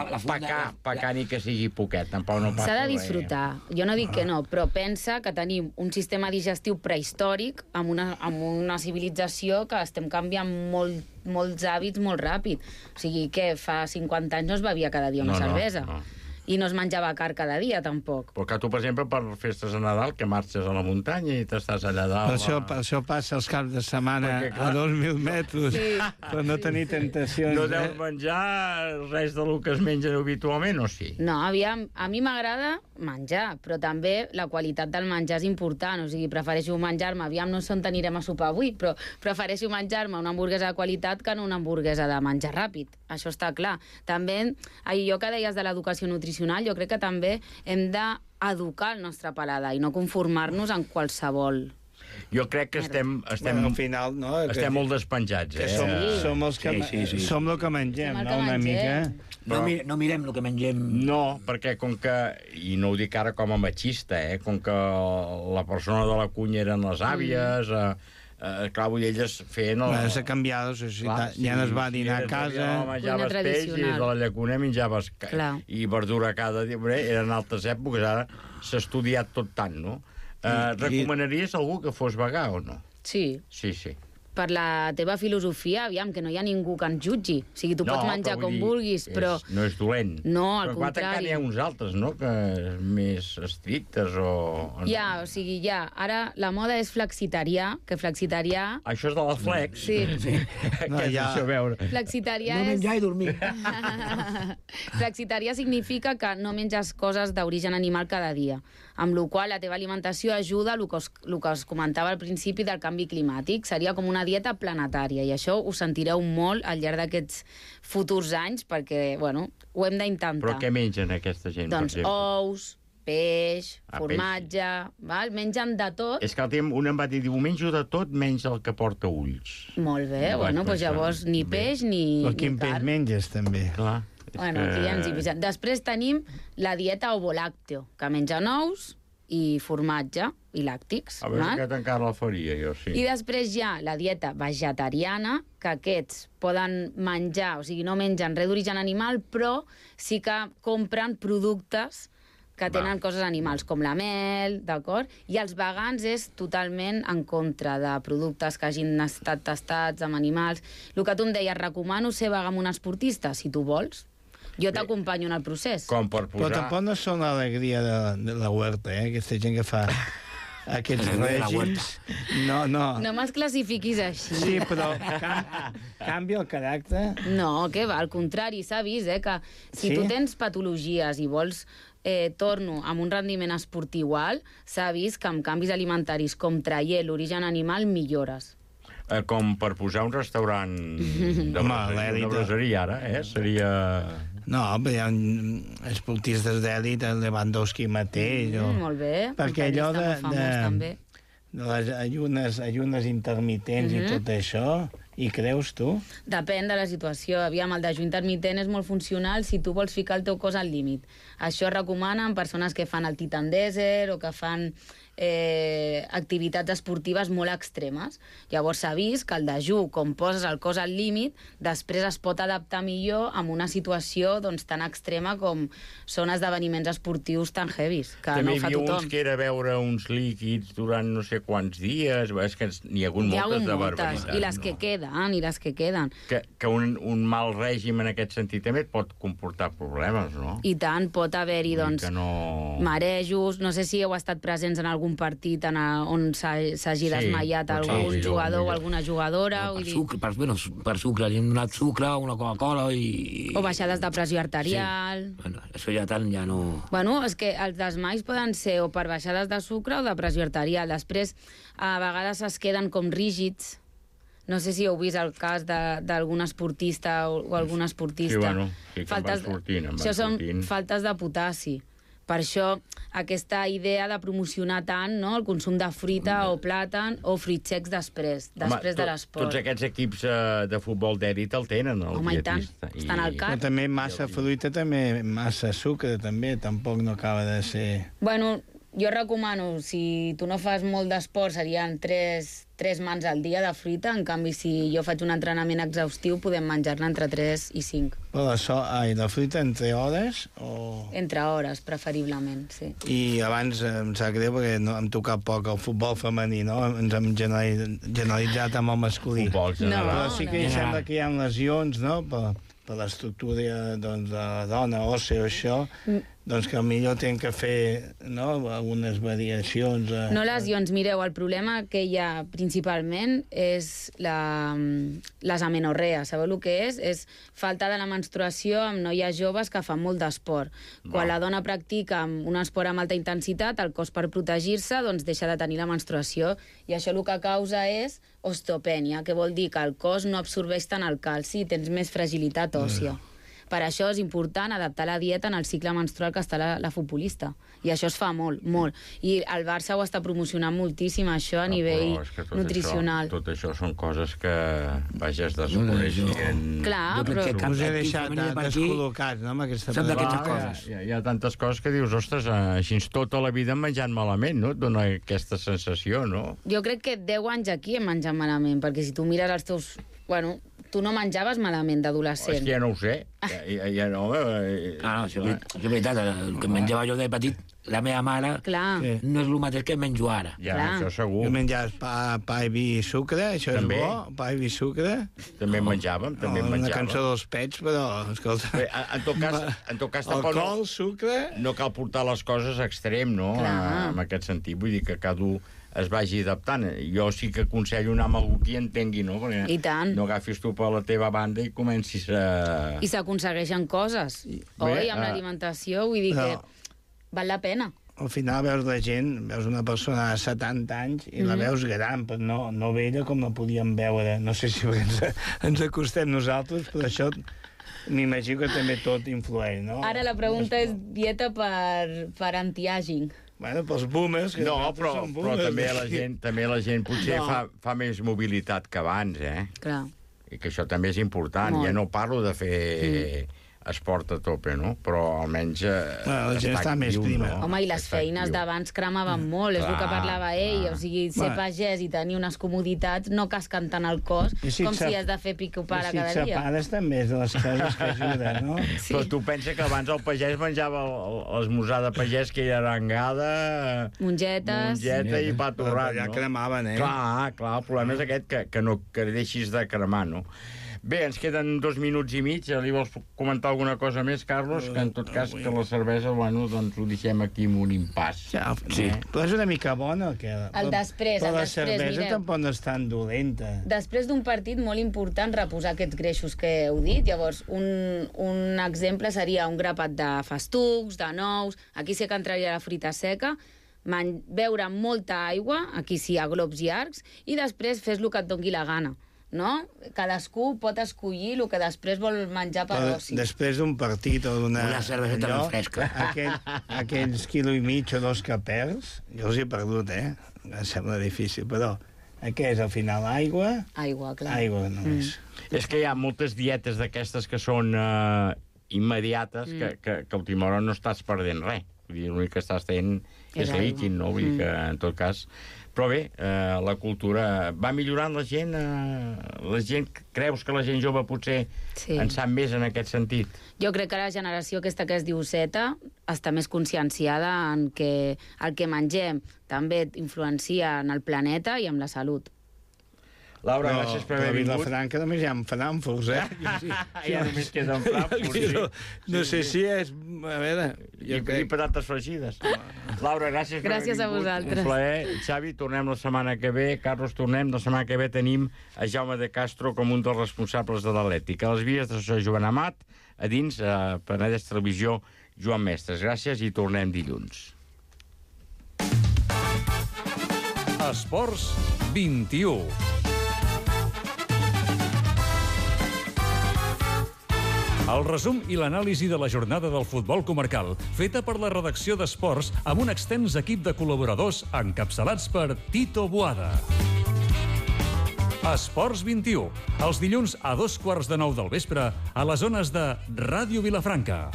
pecar ni que sigui poquet, tampoc no passa res. S'ha de disfrutar. Jo no dic que no, però pensa que tenim un sistema digestiu prehistòric amb una civilització que estem canviant molts hàbits molt ràpid. O sigui, que fa 50 anys no es bevia cada dia una cervesa. I no es menjava car cada dia, tampoc. Però que tu, per exemple, per festes de Nadal, que marxes a la muntanya i t'estàs allà dalt... Per això passa els caps de setmana a 2.000 metres, per no tenir tentacions. No deus menjar res del que es mengen habitualment, o sí? No, aviam, a mi m'agrada menjar, però també la qualitat del menjar és important, o sigui, prefereixo menjar-me, aviam, no sé on anirem a sopar avui, però prefereixo menjar-me una hamburguesa de qualitat que no una hamburguesa de menjar ràpid, això està clar. També, allò que deies de l'educació nutricional, jo crec que també hem d'educar el nostre paladar i no conformar-nos en qualsevol. Jo crec que estem al final, no? Estem molt despenjats, Som els que som el que mengem, no? Una mica. No mirem el que mengem. No, perquè com que, i no ho dic ara com a machista, com que la persona de la cunya eren les àvies, clar, vull dir, elles feien... S'ha canviat la societat, ja no es va dinar a casa... Menjaves peix i de la llacuna menjaves i verdura cada dia. Eren altres èpoques, ara s'ha estudiat tot tant, no? Recomanaries algú que fos vegà o no? Sí. Sí. Per la teva filosofia, aviam, que no hi ha ningú que ens jutgi. O sigui, tu pots menjar com vulguis, però... No és dolent. No, al contrari. Però n'hi ha uns altres, no?, que més estrictes o... Ja, o sigui, ja. Ara la moda és flexitarià, que flexitarià... Això és de la flex. Sí. Què és això, a veure? Flexitarià és... No menjar i dormir. Flexitarià significa que no menges coses d'origen animal cada dia, amb la qual la teva alimentació ajuda el que us comentava al principi del canvi climàtic. Seria com una dieta planetària, i això ho sentireu molt al llarg d'aquests futurs anys, perquè, bueno, ho hem d'intentar. Però què mengen aquesta gent, doncs, per exemple? Ous, peix, formatge, val? Mengen de tot. És que un em va dir, menjo de tot menys el que porta ulls. Molt bé, bueno, doncs llavors ni peix ni carn. Quin peix menges, també? Clar. Bueno, aquí ja ens hi posem. Després tenim la dieta ovolàcteo, que menja ous i formatge i làctics. A veure, aquest encara la faria, jo, sí. I després hi ha la dieta vegetariana, que aquests poden menjar, o sigui, no mengen res d'origen animal, però sí que compren productes que tenen coses animals, com la mel, d'acord? I els vegans és totalment en contra de productes que hagin estat tastats amb animals. El que tu em deies, recomano ser vegà amb un esportista, si tu vols. Jo t'acompanyo en el procés. Com per posar... Però tampoc no són l'alegria de la huerta, aquesta gent que fa aquests règims. No. No me'ls classifiquis així. Sí, però canvia el caràcter. No, què va, al contrari, s'ha vist, que si tu tens patologies i vols torno amb un rendiment esportiu alt, s'ha vist que amb canvis alimentaris com traient l'origen animal millores. Com per posar un restaurant de braseria, ara, seria... No, però hi ha esportistes d'èlit, el Lewandowski mateix. Molt bé. Perquè allò de les ayunes intermitents i tot això, hi creus tu? Depèn de la situació. Aviam, el dejú intermitent és molt funcional si tu vols ficar el teu cos al límit. Això es recomana en persones que fan el Titan Desert o que fan activitats esportives molt extremes. Llavors s'ha vist que el dejú, com poses el cos al límit, després es pot adaptar millor a una situació tan extrema com són esdeveniments esportius tan heavies, que no ho fa tothom. També hi havia uns que era beure uns líquids durant no sé quants dies, és que n'hi ha hagut moltes de barbaritats. I les que queden, Que un mal règim en aquest sentit també et pot comportar problemes, no? I tant, pot haver-hi, marejos, no sé si heu estat presents en algun algun partit on s'hagi desmaiat algun jugador o alguna jugadora. Per sucre, li hem donat sucre, una Coca-Cola i... O baixades de pressió arterial. Bueno, això ja tant ja no... Bueno, és que els desmais poden ser o per baixades de sucre o de pressió arterial. Després, a vegades es queden com rígids. No sé si heu vist el cas d'algun esportista o alguna esportista. Sí, bueno, sí que van sortint. Això són faltes de potassi. Per això, aquesta idea de promocionar tant el consum de fruita o plàtan o fruits secs després de l'esport. Tots aquests equips de futbol d'èlit el tenen, el dietista. Estan al cap. Però també massa fruita, també massa sucre, també. Tampoc no acaba de ser... Bueno, jo recomano, si tu no fas molt d'esport, serien 3 mans al dia de fruita. En canvi, si jo faig un entrenament exhaustiu, podem menjar-ne entre 3 i 5. Però la fruita entre hores o...? Entre hores, preferiblement, sí. I abans em sap greu perquè no hem tocat poc el futbol femení, no? Ens hem generalitzat amb el masculí. Però sí que sembla que hi ha lesions, no?, per l'estructura de la dona òssea o això, doncs que millor tenen que fer algunes variacions. No lesions, mireu, el problema que hi ha principalment és les amenorrees. Sabeu el que és? És falta de la menstruació amb noies joves que fan molt d'esport. Quan la dona practica un esport amb alta intensitat, el cos per protegir-se doncs deixa de tenir la menstruació i això el que causa és osteopènia, que vol dir que el cos no absorbeix tant el calci i tens més fragilitat òssia. Per això és important adaptar la dieta en el cicle menstrual que està la futbolista. I això es fa molt, molt. I el Barça ho està promocionant moltíssim, això, a nivell nutricional. Tot això són coses que, vaja, es desconeixen. Clar, però... Us he deixat descol·locats, no?, amb aquesta coses. Hi ha tantes coses que dius, ostres, així tota la vida menjant malament, no? Et dona aquesta sensació, no? Jo crec que 10 anys aquí hem menjat malament, perquè si tu mires els teus... Bueno, tu no menjaves malament d'adolescent. És que ja no ho sé. Ja no... Això és veritat. El que menjava jo de petit, la meva mare, no és el mateix que menjo ara. Ja, això segur. Jo menjaves pa i vi i sucre, això és bo, pa i vi i sucre. També menjàvem, Una cançó dels pets, però, escolta... En tot cas, alcohol, sucre... No cal portar les coses a extrem, no?, en aquest sentit. Vull dir que cada un es vagi adaptant. Jo sí que aconsello anar amb algú que hi entengui, no? Perquè I tant. No agafis tu per la teva banda i comencis a... I s'aconsegueixen coses, oi? Amb l'alimentació, vull dir que val la pena. Al final veus la gent, veus una persona de 70 anys i la veus gran, però no vella com la podíem veure. No sé si ens acostem nosaltres, però això m'imagino que també tot influeix, no? Ara la pregunta és dieta per anti-aging. Bueno, pels boomers... No, però també la gent potser fa més mobilitat que abans, Clar. I que això també és important. Ja no parlo de fer esport a tope, no? Però almenys la gent està més prima. No? Home, i les feines d'abans cremaven molt, és el que parlava ell. O sigui, ser pagès i tenir unes comoditats no casquen tant el cos com si has de fer pico-pala cada dia. I si et separes també és de les coses que ajuden, no? Però tu pensa que abans el pagès menjava l'esmorzar de pagès, que era arengada, mongeta i pa torrat, no? Ja cremaven, Clar, el problema és aquest, que deixis de cremar, no? Bé, ens queden 2 minuts i mig. Li vols comentar alguna cosa més, Carlos? Que en tot cas que la cervesa, bueno, doncs ho deixem aquí amb un impàs. Sí, però és una mica bona. El després, però la cervesa tampoc no és tan dolenta. Després d'un partit molt important, reposar aquests greixos que heu dit. Llavors, un exemple seria un grapat de festucs, de nous, aquí sí que entraria la fruita seca, beure molta aigua, aquí sí, a globs llargs, i després fes el que et doni la gana. No? Cadascú pot escollir el que després vol menjar per oci. Després d'un partit o una cerveseta ben fresca. Aquells quilo i mig o 2 que perds, jo els he perdut, Em sembla difícil, però què és, al final, aigua? Aigua, clar. Aigua, només. És que hi ha moltes dietes d'aquestes que són immediates que a última hora no estàs perdent res. Vull dir, l'únic que estàs fent és líquid, no? Vull dir que, en tot cas... Però bé, la cultura va millorant la gent? Creus que la gent jove potser en sap més en aquest sentit? Jo crec que la generació aquesta que es diu Z està més conscienciada en que el que mengem també influencia en el planeta i en la salut. Laura, gràcies per haver vingut. A Vilafranca només hi ha Frankfurt, Ja només queda en Frankfurt, sí. No sé si és... A veure... I patates fregides. Laura, gràcies per haver vingut. Gràcies a vosaltres. Un plaer. Xavi, tornem la setmana que ve. Carlos, tornem. La setmana que ve tenim a Jaume de Castro com un dels responsables de l'Atlètic. A les vies de Joan Amat, a dins, a Penedès Televisió, Joan Mestres. Gràcies i tornem dilluns. Esports 21. El resum i l'anàlisi de la jornada del futbol comarcal, feta per la redacció d'Esports amb un extens equip de col·laboradors encapçalats per Tito Boada. Esports 21, els dilluns a 2:15 del vespre a les zones de Ràdio Vilafranca.